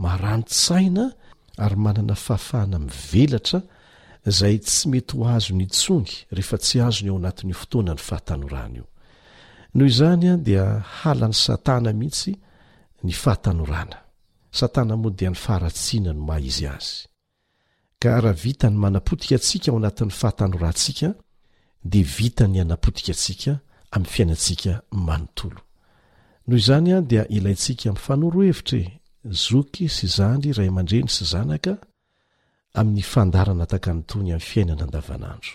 Speaker 4: marani-tsaina ary manana fahafahana mivelatra izay tsy mety ho azony intsony rehefa tsy azony ao anatin'io fotoanan'ny fahatanorana io. Noho izany dia halan'i Satana mihitsy ny fahatanorana. Satana moa dia ny faharatsiana no maha izy azy. Ka raha vita ny manapotika antsika ao anatin'ny fahatanorantsika dia vita ny hanapotika antsika amin'ny fiainantsika manontolo. Noho izany dia ilaintsika mifanoro hevitra e, zoky sy zandry, ray aman-dreny sy zanaka, amin'ny fandaharana takan'itony amin'ny fiainana andavanandro.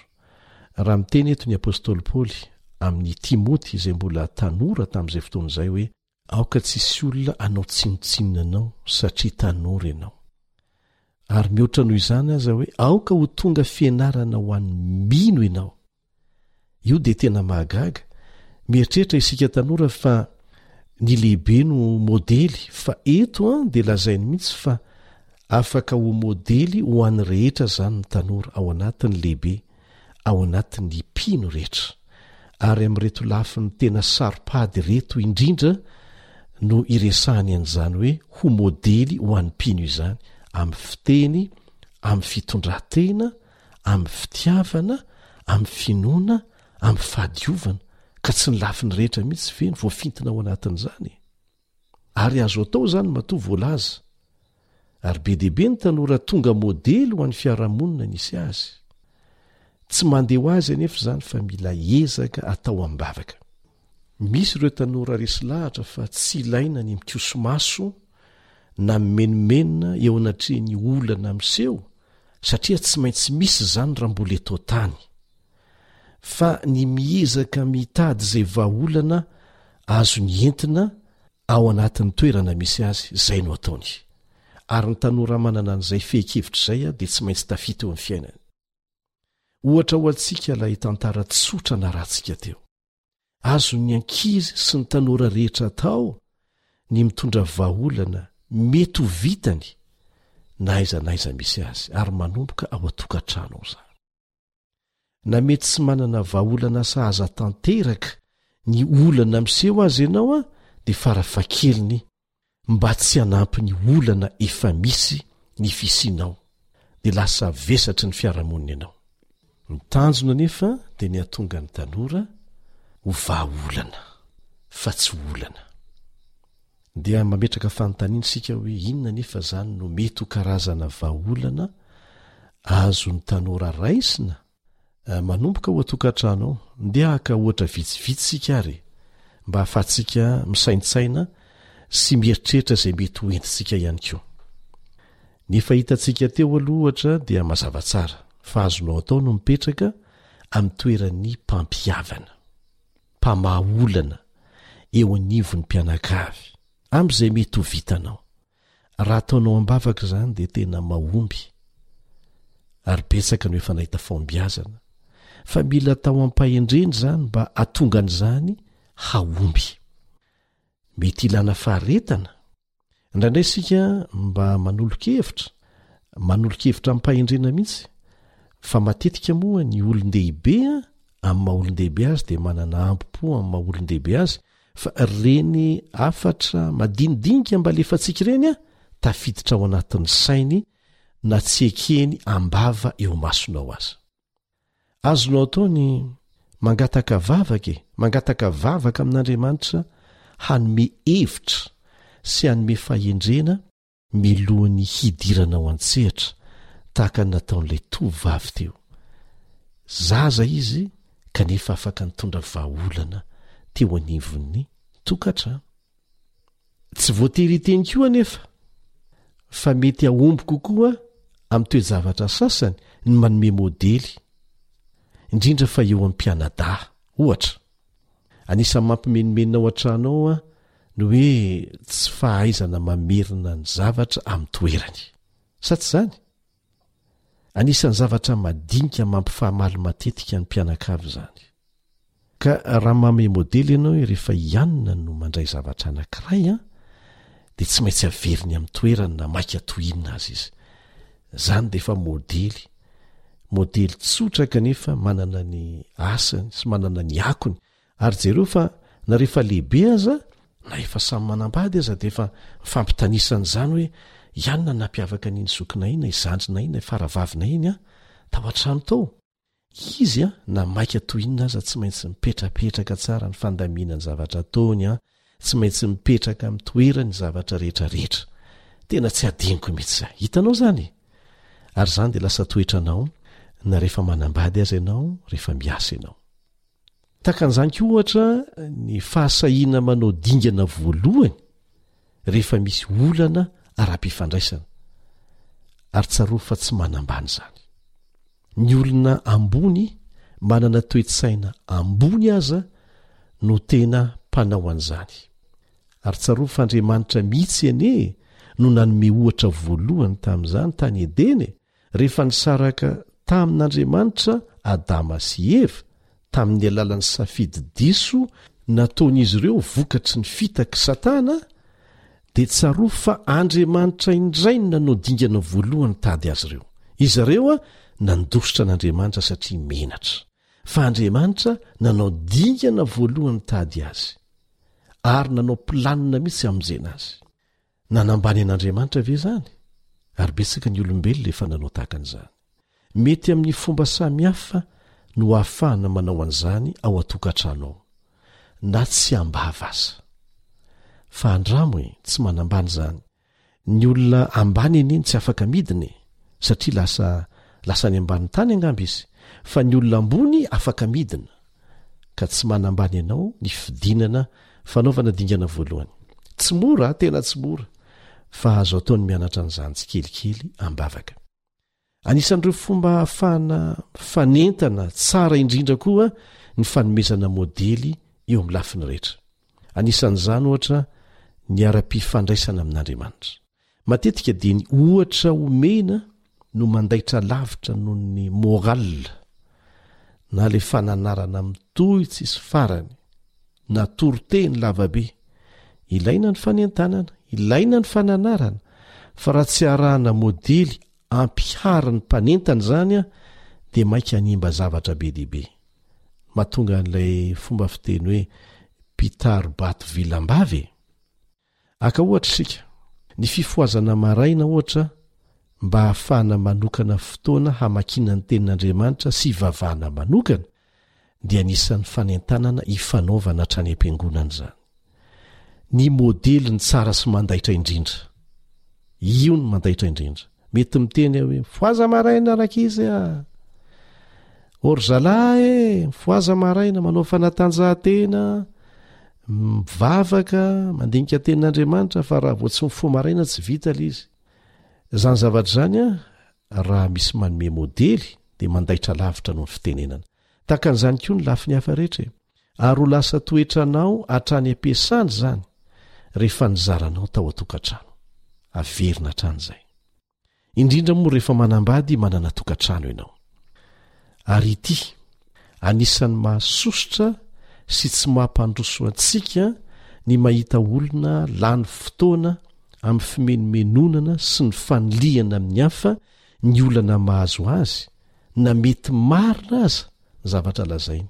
Speaker 4: Raha miteny eto ny apostoly Paoly amin'i Timoty izay mbola tanora tamin'izay fotoana izay hoe, Aoka tsy hisy olona hanao tsinontsinona anao satria tanora ianao. Ary mihoatra noho izany aza hoe aoka ho tonga fianarana ho an'ny mino ianao. Io dia tena mahagaga. Mieritreritra isika tanora fa ny lehibe no modely fa eto an dia lazainy mihitsy fa afaka ho modely ho an'ny rehetra izany ny tanora ao anatin'ny lehibe ao anatin'ny mpino rehetra. Ary amin'ireto lafiny tena saro-pady ireto indrindra no iresahany an'izany hoe ho modely ho an'ny mpino izany, amin'ny fiteny, amin'ny fitondran-tena, amin'ny fitiavana, amin'ny finoana, amin'ny fahadiovana, ka tsy ny lafiny rehetra mihitsy ve no voafintina ao anatin'izany e? Ary azo atao izany matoa voalaza. Ary be dia be ny tanora tonga modely ho an'ny fiarahamonina nisy azy. Tsy mandeha ho azy anefa izany fa mila ezaka atao amim-bavaka. Misy ireo tanora resy lahatra fa tsy ilaina ny mikoso-maso na mimenomenona eo anatrehan'ny olana miseho satria tsy maintsy misy izany raha mbola eto an-tany. Fa ny miezaka mitady izay vahaolana azony entina ao anatin'ny toerana misy azy, izay no ataony. Ary ny tanora manana an'izay fehin-kevitra izay dia tsy maintsy tafita eo amin'ny fiainany. Ohatra ho antsika ilay tantara tsotra narahantsika teo. Azon'ny ankizy sy ny tanora rehetra atao ny mitondra vahaolana mety ho vitany na aiza na aiza misy azy, ary manomboka ao an-tokantrano ao izany. Na mety tsy manana vahaolana sahaza tanteraka ny olana miseho aza ianao dia farafahakeliny mba tsy hanampy ny olana efa misy ny fisianao dia lasa vesatry ny fiarahamonina ianao. Ny tanjona anefa dia ny hahatonga ny tanora ho vahaolana fa tsy ho olana. Dia mametraka fanontaniana isika hoe inona anefa izany no mety ho karazana vahaolana azon'ny tanora raisina manomboka ao an-tokantrano ao? Ndeha haka ohatra vitsivitsy isika ary e, mba hahafahantsika misaintsaina sy mieritreritra izay mety ho entintsika ihany koa. Ny efa hitantsika teo aloha ohatra dia mazava tsara fa azonao atao no mipetraka amin'ny toeran'ny mpampihavana. mpamaha olana eo anivon'ny mpianakavy, amin'izay mety ho vitanao. Raha ataonao am-bavaka izany dia tena mahomby ary betsaka no efa nahita fahombiazana. Fa mila atao am-pahendrena izany mba hahatonga an'izany hahomby. Mety hilana faharetana. Indraindray isika mba manolo-kevitra, manolo-kevitra amim-pahendrena mihitsy, fa matetika moa ny olon-dehibe amin'ny maha olon-dehibe azy dia manana ambo-po amin'ny maha olon-dehibe azy, fa ireny hafatra madinidinika mba alefantsika ireny an, tafiditra ao anatin'ny sainy na tsy ekeny am-bava eo imasonao aza. Azonao atao ny mangataka vavaka e, mangataka vavaka amin'Andriamanitra hanome hevitra sy hanome fahendrena milohan'ny hidiranao an-tsehatra tahaka ny nataon'ilay tovovavy teo. Zaza izy kanefa afaka nitondra vahaolana teo anivon'ny tokantrano. Tsy voatery hiteny koa anefa fa mety hahomby kokoa amin'ny toe-javatra sasany ny manome modely, indrindra fa eo amin'ny mpianadahy. Ohatra, anisan'ny mampimenomenona ao an-trano ao ny hoe tsy fahaizana mamerina ny zavatra amin'ny toerany. Sa tsy izany? Anisan'ny zavatra madinika mampifamaly matetika ny mpianakavy izany. Ka raha manome modely ianao hoe rehefa i Anna no mandray zavatra anankiray an, dia tsy maintsy averiny amin'ny toerany na maika toy inona aza izy. Izany dia efa modely, modely tsotra kanefa manana ny asany sy manana ny akony. Ary jereo fa na rehefa lehibe aza, na efa samy manambady aza dia efa mifampitanisa an'izany hoe i Anna nampiavaka an'iny zokinay iny na i zandrinay iny na i faravavinay iny an, tao an-trano tao. Izy an, na maika toy inona aza tsy maintsy mipetrapetraka tsara ny fandaminany zavatra ataony an, tsy maintsy mipetraka amin'ny toerany ny zavatra rehetra rehetra. Tena tsy adinoko mihitsy izay. Hitanao izany e? Ary izany dia lasa toetranao na rehefa manambady aza ianao, rehefa miasa ianao. Tahaka an'izany koa ohatra ny fahasahiana manao dingana voalohany rehefa misy olana ara-pifandraisana. Ary tsarovy fa tsy manambany izany. Ny olona ambony manana toe-tsaina ambony aza no tena mpanao an'izany. Ary tsarovy fa Andriamanitra mihitsy anie no nanome ohatra voalohany tamin'izany tany Edena e! Rehefa nisaraka tamin'Andriamanitra Adama sy Eva, tamin'ny alalan'ny safidy diso nataon'izy ireo vokatry ny fitak'i Satana, dia tsarovy fa Andriamanitra indray no nanao dingana voalohany nitady azy ireo. Izy ireo nandositra an'Andriamanitra satria menatra. Fa Andriamanitra nanao dingana voalohany nitady azy, ary nanao planina mihitsy hamonjena azy. Nanambany an'Andriamanitra ve izany? Ary betsaka ny olombelona efa nanao tahaka an'izany. Mety amin'ny fomba samihafa no ahafahana manao an'izany ao an-tokantrano ao, na tsy am-bava aza. Fa andramo e, tsy manambany izany. Ny olona ambany anie no tsy afaka midina e, satria lasa lasa any ambanin'ny tany angamba izy, fa ny olona ambony afaka midina. Ka tsy manambany anao ny fidinana fanaovana dingana voalohany. Tsy mora, tena tsy mora, fa azo atao ny mianatra an'izany tsikelikely am-bavaka. Anisan'ireo fomba ahafahana mifanentana tsara indrindra koa ny fanomezana modely eo amin'ny lafiny rehetra. Anisan'izany, ohatra, ny ara-pifandraisana amin'Andriamanitra. Matetika dia ny ohatra omena no mandaitra lavitra noho ny morale na ilay fananarana mitohy tsisy farany na toriteny lavabe. Ilaina ny fanentanana, ilaina ny fananarana, fa raha tsy arahana modely ampiharin'ny mpanentana izany dia mainka hanimba zavatra be dia be. Mahatonga an'ilay fomba fiteny hoe mpitari-bato vilam-bava e! Haka ohatra isika, ny fifohazana maraina ohatra mba hahafahana manokana fotoana hamakiana ny Tenin'Andriamanitra sy hivavahana manokana dia anisan'ny fanentanana ifanaovana hatrany am-piangonana izany. Ny modely ny tsara sy mandaitra indrindra. Io no mandaitra indrindra. Mety miteny aho hoe mifohaza maraina rankizy a! Ô ry zalahy e, mifohaza maraina, manao fanatanjahantena, mivavaka, mandinika tenin'Andriamanitra fa raha vao tsy mifoha maraina tsy vita ilay izy. Izany zavatra izany an, raha misy manome modely dia mandaitra lavitra noho ny fitenenana. Tahaka an'izany koa ny lafiny hafa rehetra e. Ary ho lasa toetranao hatrany am-piasana izany rehefa nizaranao tao an-tokantrano. Averina hatrany izay. Indrindra moa rehefa manambady manana tokantrano ianao. Ary ity, anisan'ny mahasosotra sy tsy mampandroso antsika ny mahita olona lany fotoana amin'ny fimenomenonana sy ny fanilihana amin'ny hafa ny olana mahazo azy na mety marina aza ny zavatra lazainy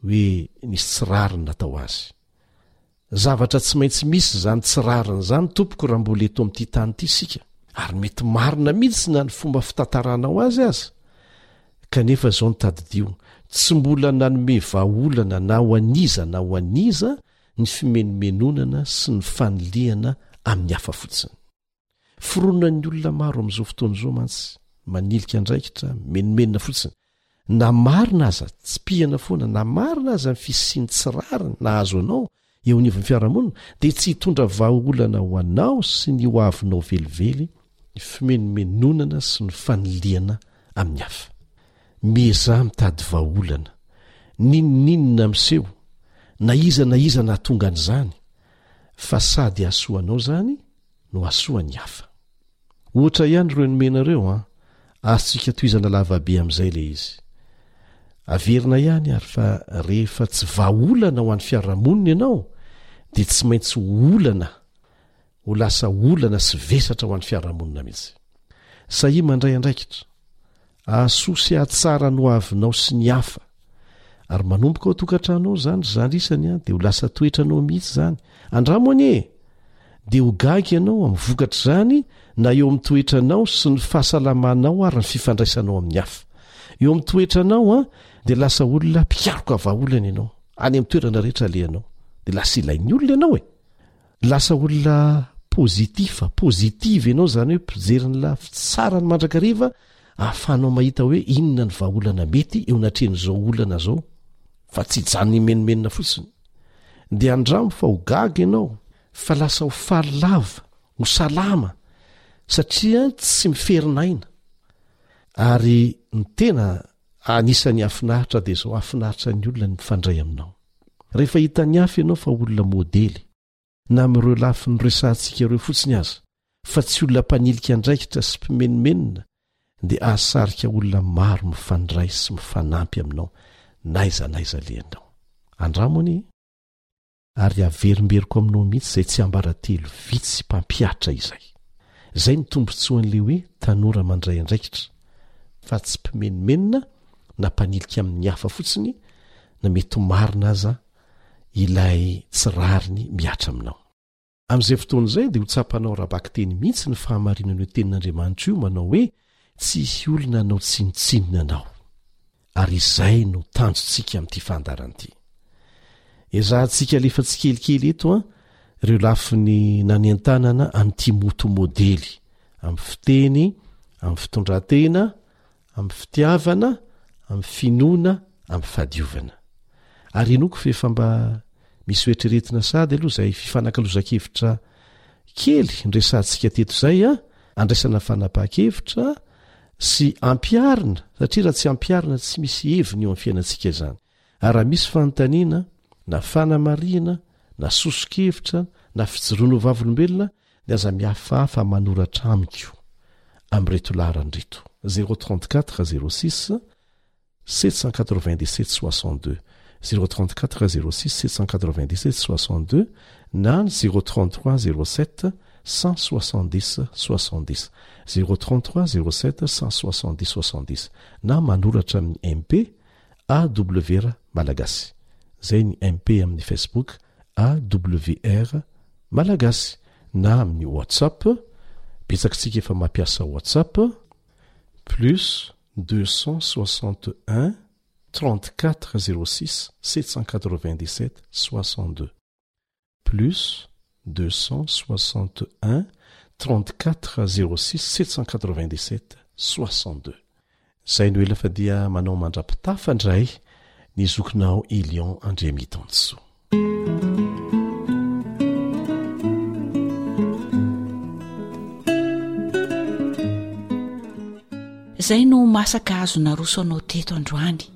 Speaker 4: hoe nisy tsy rariny natao azy. Zavatra tsy maintsy misy izany tsy rariny izany tompoko raha mbola eto amin'ity tany ity isika, ary mety marina mihitsy na ny fomba fitantaranao azy aza. Kanefa izao no tadidio, tsy mbola nanome vahaolana na ho an'iza na ho an'iza ny fimenomenonana sy ny fanilihana amin'ny hafa fotsiny. Fironan'ny olona maro amin'izao fotoana izao mantsy, manilika andraikitra, mimenomenona fotsiny. Na marina aza, tsipihana foana, na marina aza ny fisian'ny tsy rariny nahazo anao eo anivon'ny fiarahamonina, dia tsy hitondra vahaolana ho anao sy ny ho avinao velively ny fimenomenonana sy ny fanilihana amin'ny hafa. Miezaha mitady vahaolana, n'inon'inona miseho, na iza na iza nahatonga an'izany, fa sady hahasoa anao izany no hahasoa ny hafa. Ohatra ihany ireo nomena ireo an, azontsika tohizana lavabe amin'izay ilay izy. Averina ihany ary fa rehefa tsy vahaolana ho an'ny fiarahamonina ianao dia tsy maintsy ho olana, ho lasa olana sy vesatra ho an'ny fiarahamonina mihitsy. Sahia mandray andraikitra. Hahasoa sy hahatsara ny hoavinao sy ny hafa. Ary manomboka ao an-tokantrano ao izany ry zandry isany an, dia ho lasa toetranao mihitsy izany. Andramo anie e! Dia ho gaga ianao amin'ny vokatr'izany na eo amin'ny toetranao sy ny fahasalamanao ary ny fifandraisanao amin'ny hafa. Eo amin'ny toetranao an, dia lasa olona mpikaroka vahaolana ianao. Any amin'ny toerana rehetra alehanao, dia lasa ilain'ny olona ianao e! Lasa olona positif, positive ianao, izany hoe mpijery ny lafy tsarany mandrakariva, ahafahanao mahita hoe inona ny vahaolana mety eo anatrehan'izao olana izao, fa tsy hijanona himenomenona fotsiny. Dia andramo fa ho gaga ianao, fa lasa ho faly lava, ho salama, satria tsy miferinaina. Ary ny tena anisan'ny hahafinaritra dia izao, hahafinaritra ny olona ny mifandray aminao. Rehefa hitan'ny hafa ianao fa olona modely, na amin'ireo lafiny noresahantsika ireo fotsiny aza, fa tsy olona mpanilika andraikitra sy mpimenomenona, dia hahasarika olona maro mifandray sy mifanampy aminao n'aiza n'aiza alehanao. Andramo anie e! Ary averimberiko aminao mihitsy izay tsiambaratelo vitsy mpampihatra izay. Izay no tombontsoan'ilay hoe tanora mandray andraikitra, fa tsy mpimenomenona na mpanilika amin'ny hafa fotsiny na mety ho marina aza ilay tsy rariny mihatra aminao. Amin'izay fotoana izay dia ho tsapanao ara-bakiteny mihitsy ny fahamarinan'io tenin'Andriamanitra io manao hoe tsy hisy olona hanao tsinontsinona anao. Ary izay no tanjontsika amin'ity fandaharana ity. Ezahantsika alefa tsikelikely eto an, ireo lafiny nanentanana an'i Timoty modely, amin'ny fiteny, amin'ny fitondran-tena, amin'ny fitiavana, amin'ny finoana, amin'ny fahadiovana. Ary inoako fa efa mba misy hoeritreretina sahady aloha izay fifanakalozan-kevitra kely noresahantsika teto izay an, andraisana fanapahan-kevitra sy ampiharina, satria raha tsy ampiharina tsy misy heviny eo amin'ny fiainantsika izany. Ary raha misy fanontaniana, na fanamarihana, na soso-kevitra, na fijoroana ho vavolombelona, dia aza mihafahafa manoratra amiko amin'ireto laharana ireto, zéro trente quatre zéro six sept cent quatre-vingt-dix-sept soixante-deux, zéro trente-quatre zéro six sept cent quatre-vingt-dix-sept soixante-deux na ny zéro trente-trois zéro sept cent soixante-dix soixante-dix, zéro trente-trois zéro sept cent soixante-dix soixante-dix na manoratra amin'ny M P A W R Malagasy. Izay ny M P amin'ny Facebook A W R Malagasy na amin'ny WhatsApp, betsaka tsika efa mampiasa WhatsApp, plus deux cent soixante un trente quatre zéro six sept cent quatre vingt dix sept soixante deux plus deux cent soixante un trente quatre zéro six sept cent quatre vingt dix sept soixante deux Izay no ela fa dia manao mandra-pitafa indray ny zokinao Elion Andriamitansoa.
Speaker 9: Izay no masaka azo naroso anao teto androany.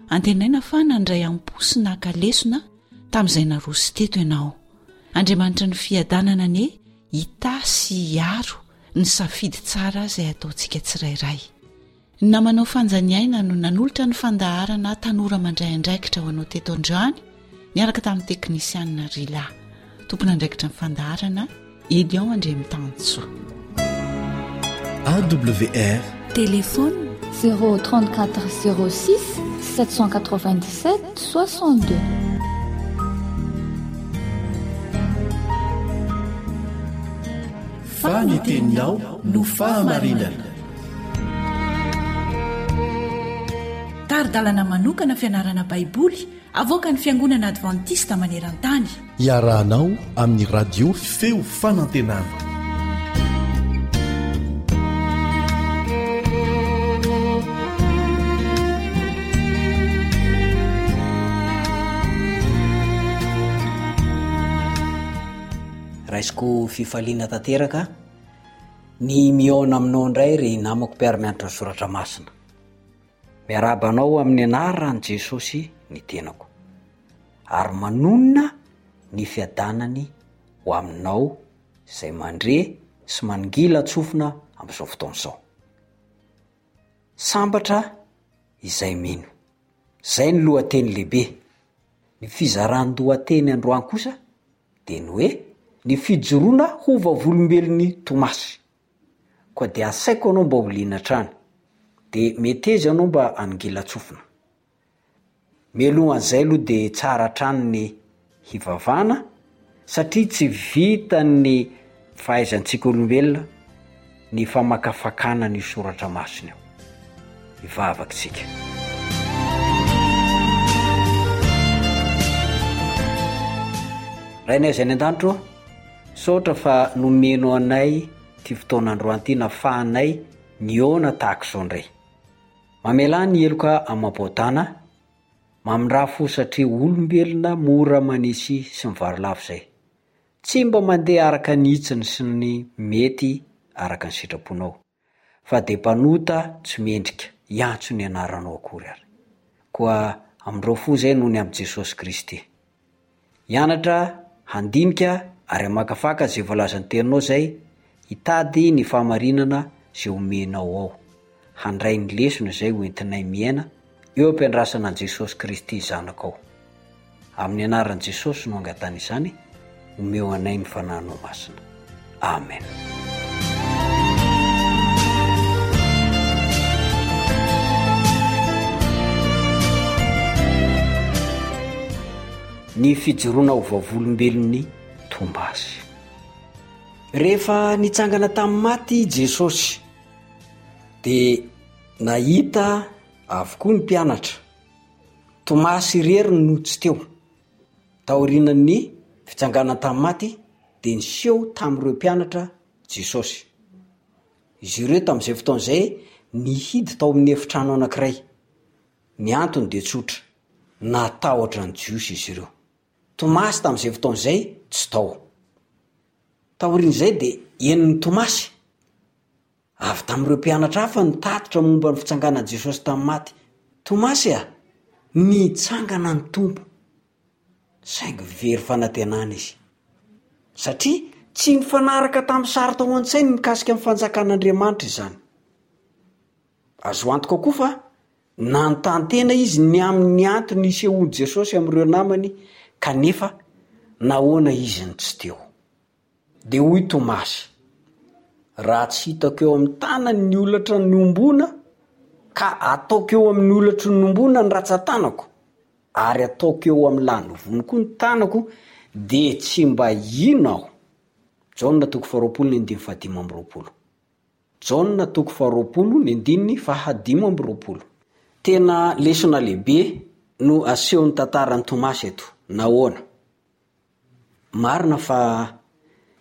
Speaker 9: Antenaina fa nandray am-po sy naka lesona tamin'izay naroso teto ianao. Andriamanitry ny fiadanana anie
Speaker 3: hitahy sy hiaro ny safidy tsara izay ataontsika tsirairay. Ny namanao Fanja Niaina no nanolotra ny fandaharana Tanora Mandray Andraikitra ho anao teto androany, niaraka tamin'ny teknisianina Rila. Tompon'andraikitra ny fandaharana Elion Andriamitansoa.
Speaker 4: A W R.
Speaker 5: Téléphone
Speaker 11: zéro trente-quatre zéro six sept cent quatre-vingt-dix-sept soixante-deux.
Speaker 4: Fa ny teninao no fahamarinana.
Speaker 2: Tari-dalana manokana fianarana Baiboly avoakan'ny Fiangonana Adventista maneran-tany.
Speaker 4: Iarahanao amin'ny radio Feo Fanantenana.
Speaker 12: Raisiko fifaliana tanteraka ny mihaona aminao indray ry namako mpiara-mianatra ny soratra masina. Miarahaba anao amin'ny anaran'i Jesosy ny tenako, ary manonona ny fiadanany ho aminao izay mandre sy mangilan-tsofina amin'izao fotoana izao. Sambatra izay mino. Izay ny lohateny lehibe. Ny fizaran-dohateny androany kosa dia ny hoe ny fijoroana ho vavolombelon'i Tomasy. Koa dia asaiko anao mba ho liana hatrany, dia meteza ianao mba hangilan-tsofina. Mialohan'izay aloha dia tsara hatrany ny hivavahana, satria tsy vitan'ny fahaizantsika olombelona ny famakafakana ny soratra masina io. Hivavaka isika. Rainay izay any an-danitra ô, misaotra fa nomeno anay ity fotoana androany ity nafahanay nihaona tahaka izao indray. Mamelà ny heloka amam-paotana, mamindrà fo satria olombelona mora manisy sy mivarilavo izay. Tsy mba mandeha araka ny hitsiny sy ny mety araka ny sitraponao, fa dia mpanota tsy mendrika hiantso ny anaranao akory ary. Koa amindreo fo izay noho ny amin'i Jesosy Kristy. Hianatra, handinika ary hamakafaka izay voalazan'ny teninao izay, hitady ny fahamarinana izay omenao ao, handray ny lesona izay hoentinay miaina eo am-piandrasana an'i Jesosy Kristy Zanakao. Amin'ny anaran'i Jesosy no angatahana izany, omeo anay ny Fanahinao Masina. Amen. Ny fijoroana ho vavolombelon'i Tomasy. Rehefa nitsangana tamin'ny maty i Jesosy, dia nahita avokoa ny mpianatra. Tomasy irery no tsy teo. Taorian'ny fitsanganana tamin'ny maty, dia niseho tamin'ireo mpianatra Jesosy. Izy ireo tamin'izay fotoana izay nihidy tao amin'ny efitrano anankiray. Ny antony dia tsotra, natahotra ny Jiosy izy ireo. Tomasy tamin'izay fotoana izay tsy tao. Taorian'izay dia henon'i Tomasy avy tamin'ireo mpianatra hafa ny tatitra momba ny fitsanganan'i Jesosy tamin'ny maty. Tomasy a, nitsangana ny Tompo. Saingy very fanantenana izy, satria tsy nifanaraka tamin'ny sary tao an-tsainy mikasika ny fanjakan'Andriamanitra izany. Azo antoka koa fa nanontany tena izy ny amin'ny antony nisehoan'i Jesosy amin'ireo namany, kanefa nahoana izy no tsy teo. Dia hoy Tomasy, raha tsy hitako eo amin'ny tanany ny holatra niombona, ka ataoko eo amin'ny holatry ny nombona ny ratsan-tanako, ary ataoko eo amin'ny lanovony koa ny tanako, dia tsy mba hino aho. Jaona toko faharoapolo ny andininy fahadimy amby roapolo. Jaona toko faharoapolo ny andininy fahadimy amby roapolo. Tena lesona lehibe no asehon'ny tantaran'i Tomasy eto. Nahoana? Marina fa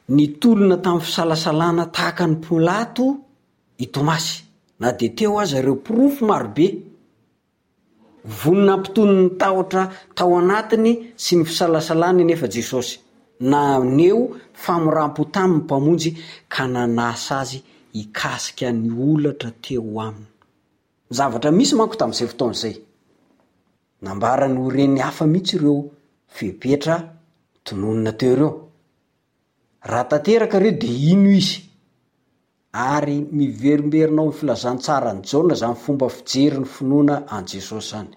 Speaker 12: nitolona tamin'ny fisalasalana tahaka an'i Pilato i Tomasy, na dia teo aza ireo porofo marobe. Vonona hampitony ny tahotra tao anatiny sy ny fisalasalany anefa Jesosy. Naneho famoram-po taminy ny Mpamonjy ka nanasa azy hikasika ny holatra teo aminy. Ny zavatra misy manko tamin'izay fotoana izay, nambarany ho reny hafa mihitsy ireo fepetra tononina teo ireo. Raha tanteraka ireo dia hino izy. Ary miverimberina ao amin'ny filazantsaran'i Jaona izany fomba fijery ny finoana an'i Jesosy izany.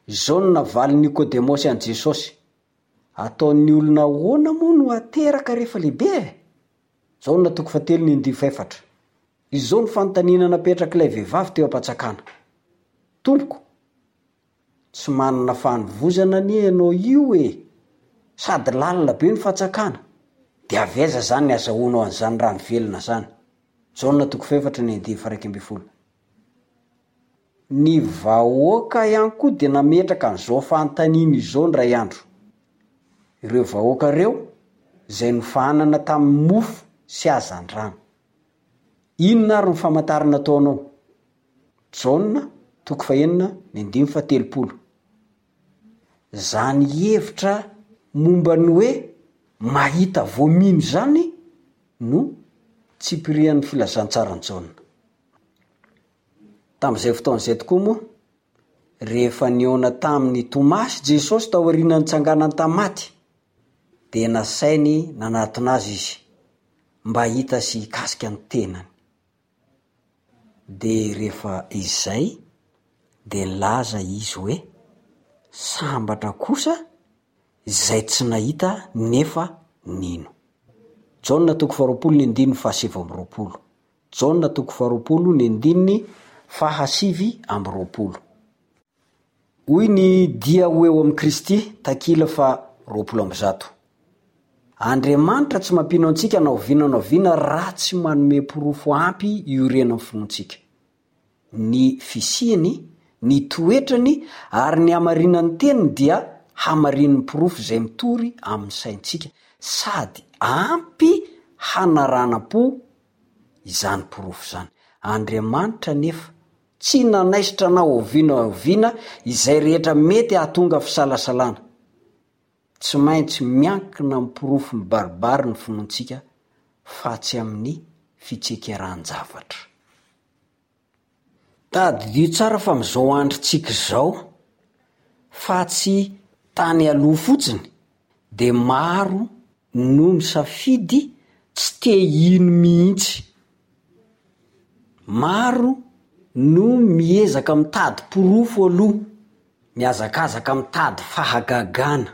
Speaker 12: Izao no navalin'i Nikodemosy an'i Jesosy, Ataon'ny olona ahoana moa no hateraka rehefa lehibe e? Jaona toko fahatelo ny andininy fahefatra. Izao no fanontaniana napetrak'ilay vehivavy teo am-pantsakana, Tompoko, tsy manana fanovozana anie ianao io e! Sady lalina be ny fantsakana, dia avy aiza izany ny azahoanao an'izany rano velona izany? Jaona toko fahefatra ny andininy faharaika ambin'ny folo. Ny vahoaka ihany koa dia nametraka an'izao fanontaniana izao indray andro. Ireo vahoaka ireo izay nofahanana tamin'ny mofo sy hazandrano. Inona ary no famantarana ataonao? Jaona toko fahenina ny andininy fahatelopolo. Izany hevitra momba ny hoe mahita vao mino izany no tsipirian'ny filazantsaran'i Jaona. Tamin'izay fotoana izay tokoa moa, rehefa nihaona tamin'i Tomasy Jesosy taorian'ny nitsanganany tamin'ny maty, dia nasainy nanatona azy izy mba hahita sy hikasika ny tenany. Dia rehefa izay dia nilaza izy hoe, Sambatra kosa izay tsy nahita nefa nino. Jaona toko faharoapolo ny andininy fahasivy amby roapolo. Jaona toko faharoapolo ny andininy fahasivy amby roapolo. Hoy ny Dia ho eo amin'i Kristy, takila faha roapolo amby zato. Andriamanitra tsy mampino antsika na oviana na oviana raha tsy manome porofo ampy iorenan'ny finoantsika. Ny fisiany, ny toetrany ary ny hamarinan'ny teniny dia hamarinin'ny porofo izay mitory amin'ny saintsika sady ampy hanaranam-po izany porofo izany. Andriamanitra anefa tsy nanaisotra na oviana na oviana izay rehetra mety hahatonga fisalasalana. Tsy maintsy miankina amin'ny porofo mibaribary ny finoantsika fa tsy amin'ny fitsekeran-javatra. Tadidio tsara fa amin'izao androntsika izao, fa tsy tany aloha fotsiny, dia maro no misafidy tsy te hino mihitsy. Maro no miezaka mitady porofo aloha, mihazakazaka mitady fahagagana,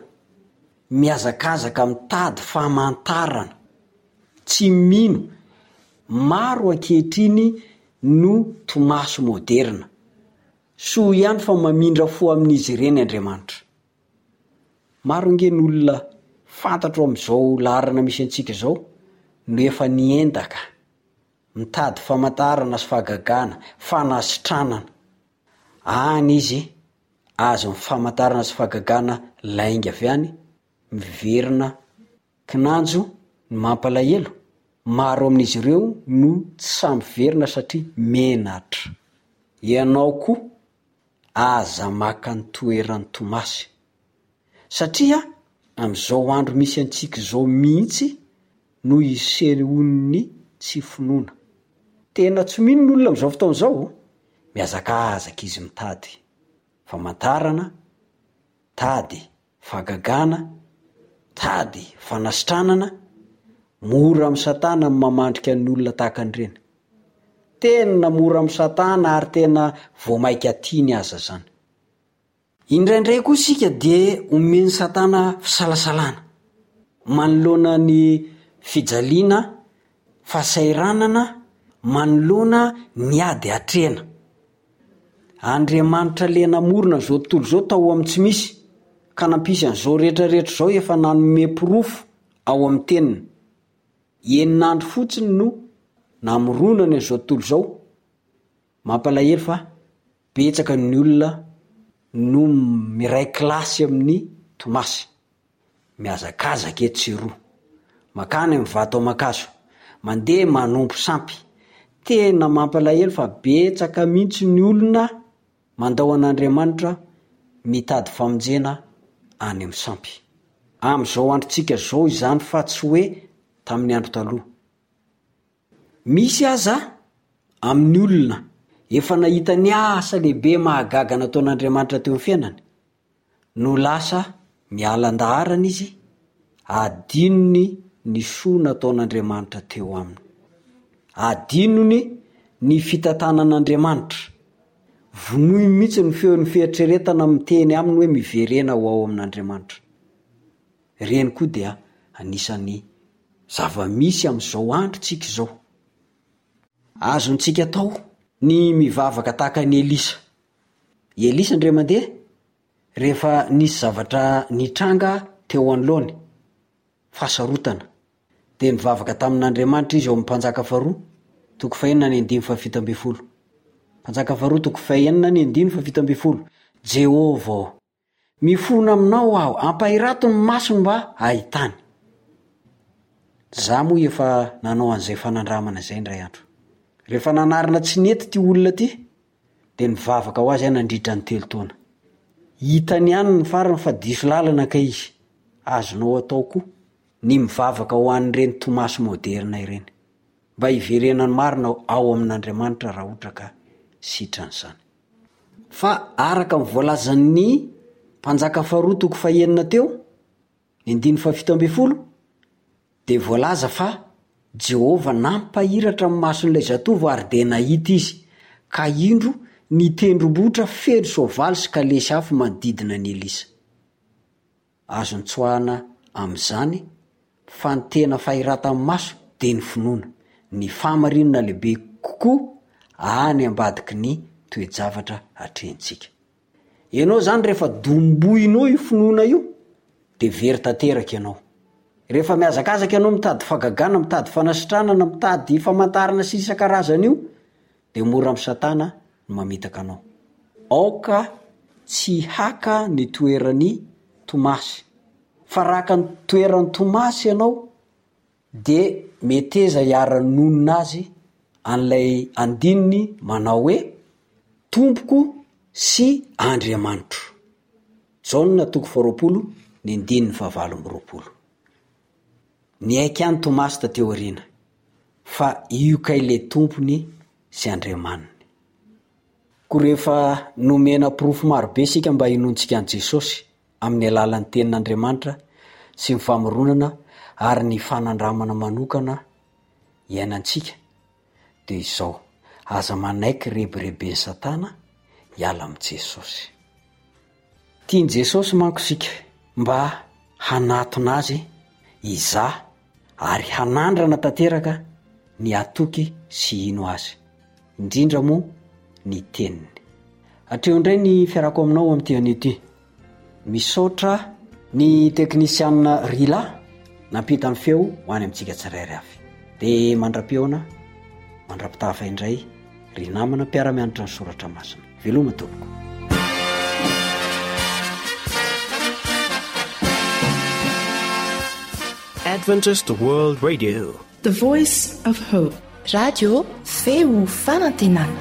Speaker 12: mihazakazaka mitady famantarana. Tsy mino. Maro ankehitriny no Tomasy moderina. Soa ihany fa mamindra fo amin'izy ireny Andriamanitra. Maro ange ny olona fantatro amin'izao laharana misy antsika izao no efa niendaka, mitady famantarana sy fahagagana, fanasitranana. Any izy azon'ny famantarana sy fahagagana lainga avy any, miverina kinanjo ny mampalahelo, maro amin'izy ireo no tsy sahy miverina satria menatra. Ianao koa aza maka ny toeran'i Tomasy. Satria amin'izao andro misy antsika izao mihitsy no isehoan'ny tsy finoana. Tena tsy mino ny olona amin'izao fotoana izao, mihazakazaka izy mitady famantarana, mitady fahagagana, mitady fanasitranana, mora amin'i Satana ny mamandrika ny olona tahaka an'ireny. Tena mora amin'i Satana ary tena vao mainka tiany aza izany. Indraindray koa isika dia omen'i Satana fisalasalana manoloana ny fijaliana, fahasahiranana, manoloana ny ady atrehina. Andriamanitra ilay namorona izao tontolo izao tao amin'ny tsy misy ka nampisy an'izao rehetra rehetra izao efa nanome porofo ao amin'ny teniny. Enina andro fotsiny no namoronany an'izao tontolo izao. Mampalahelo fa betsaka ny olona no miray kilasy amin'i Tomasy. Mihazakazaka etsy sy eroa. Makany amin'ny vato aman-kazo. Mandeha manompo sampy. Tena mampalahelo fa betsaka mihitsy ny olona mandao an'Andriamanitra mitady famonjena any amin'ny sampy. Amin'izao androntsika izao izany fa tsy hoe tamin'ny andro taloha. Misy aza amin'ny olona efa nahita ny asa lehibe mahagaga nataon'Andriamanitra teo amin'ny fiainany no lasa miala an-daharana izy, adinony ny soa nataon'Andriamanitra teo aminy. Adinony ny fitantanan'Andriamanitra. Vonoiny mihitsy ny feon'ny fieritreretana miteny aminy hoe miverena ho ao amin'Andriamanitra. Ireny koa dia anisan'ny zava-misy amin'izao androntsika izao. Azontsika atao ny mivavaka tahaka an'i Elisa. I Elisa indray mandeha, rehefa nisy zavatra nitranga teo anoloany, fahasarotana, dia nivavaka tamin'Andriamanitra izy ao amin'ny Mpanjaka faharoa, toko fahenina ny andininy fahafito ambin'ny folo. Mpanjaka faharoa toko fahenina ny andininy fahafito ambin'ny folo, Jehovah ô, mifona aminao aho, ampahirato ny masony mba hahitany. Za moa efa nanao an'izay fanandramana izay indray andro. Rehefa nanarina tsy nety ity olona ity, dia nivavaka ho azy aho nandritra ny telo taona. Hitany ihany ny farany fa diso lalana kay izy. Azonao atao koa ny mivavaka ho an'ireny Tomasy moderina ireny. Mba hiverenany marina ao amin'Andriamanitra raha ohatra ka sitrany izany. Fa araka ny voalazan'ny Mpanjaka faharoa toko fahenina teo, ny andininy fahafito ambin'ny folo, dia voalaza fa Jehovah nampahiratra ny mason'ilay zatovo ary dia nahita izy, ka indro ny tendrombohitra feno soavaly sy kalesy afo manodidina an'i Elisa. Azo nitsoahana amin'izany fa ny tena fahiratan'ny maso dia ny finoana, ny fahamarinana lehibe kokoa any ambadiky ny toe-javatra atrehintsika. Ianao izany rehefa dombohinao io finoana io dia very tanteraka ianao. Rehefa mihazakazaka ianao mitady fahagagana, mitady fanasitranana, mitady famantarana sy isan-karazany io dia mora amin'i Satana ny mamitaka anao. Aoka tsy haka ny toeran'i Tomasy. Fa raha haka ny toeran'i Tomasy ianao dia meteza hiara-nonina azy an'ilay andininy manao hoe, Tompoko sy Andriamanitro. Jaona toko faharoapolo ny andininy fahavalo amby roapolo. Niaiky ihany Tomasy taty aoriana fa io kay le Tompony sy Andriamaniny. Koa rehefa nomena porofo marobe isika mba hinoantsika an'i Jesosy amin'ny alalan'ny Tenin'Andriamanitra sy ny famoronana ary ny fanandramana manokana iainantsika, dia izao, aza manaiky rebireben'i Satana hiala amin'i Jesosy. Tian'i Jesosy manko isika mba hanatona Azy, hizaha ary hanandrana tanteraka ny hatoky sy hino Azy, indrindra moa ny Teniny. Hatreo indray ny fiarako aminao amin'ity anio ity. Misaotra ny teknisianina Rila nampita ny feo ho any amintsika tsirairay avy. Dia mandra-pihaona, mandra-pitafa indray ry namana mpiara-mianatra ny soratra masina. Veloma tompoko.
Speaker 1: Adventist World Radio.
Speaker 2: The Voice of Hope.
Speaker 13: Radio Feo Fanantenana.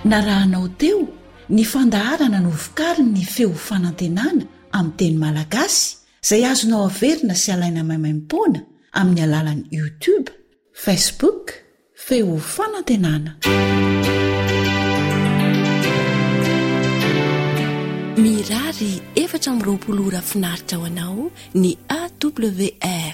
Speaker 2: Narahanao teo ny fandaharana novokarin'ny Feo Fanantenana amin'ny teny malagasy izay azonao averina sy alaina maimaimpoana amin'ny alalan'ny YouTube, Facebook, Feo Fanantenana.
Speaker 13: Mirary efatra amby roapolo ora finaritra ho anao ny A W R.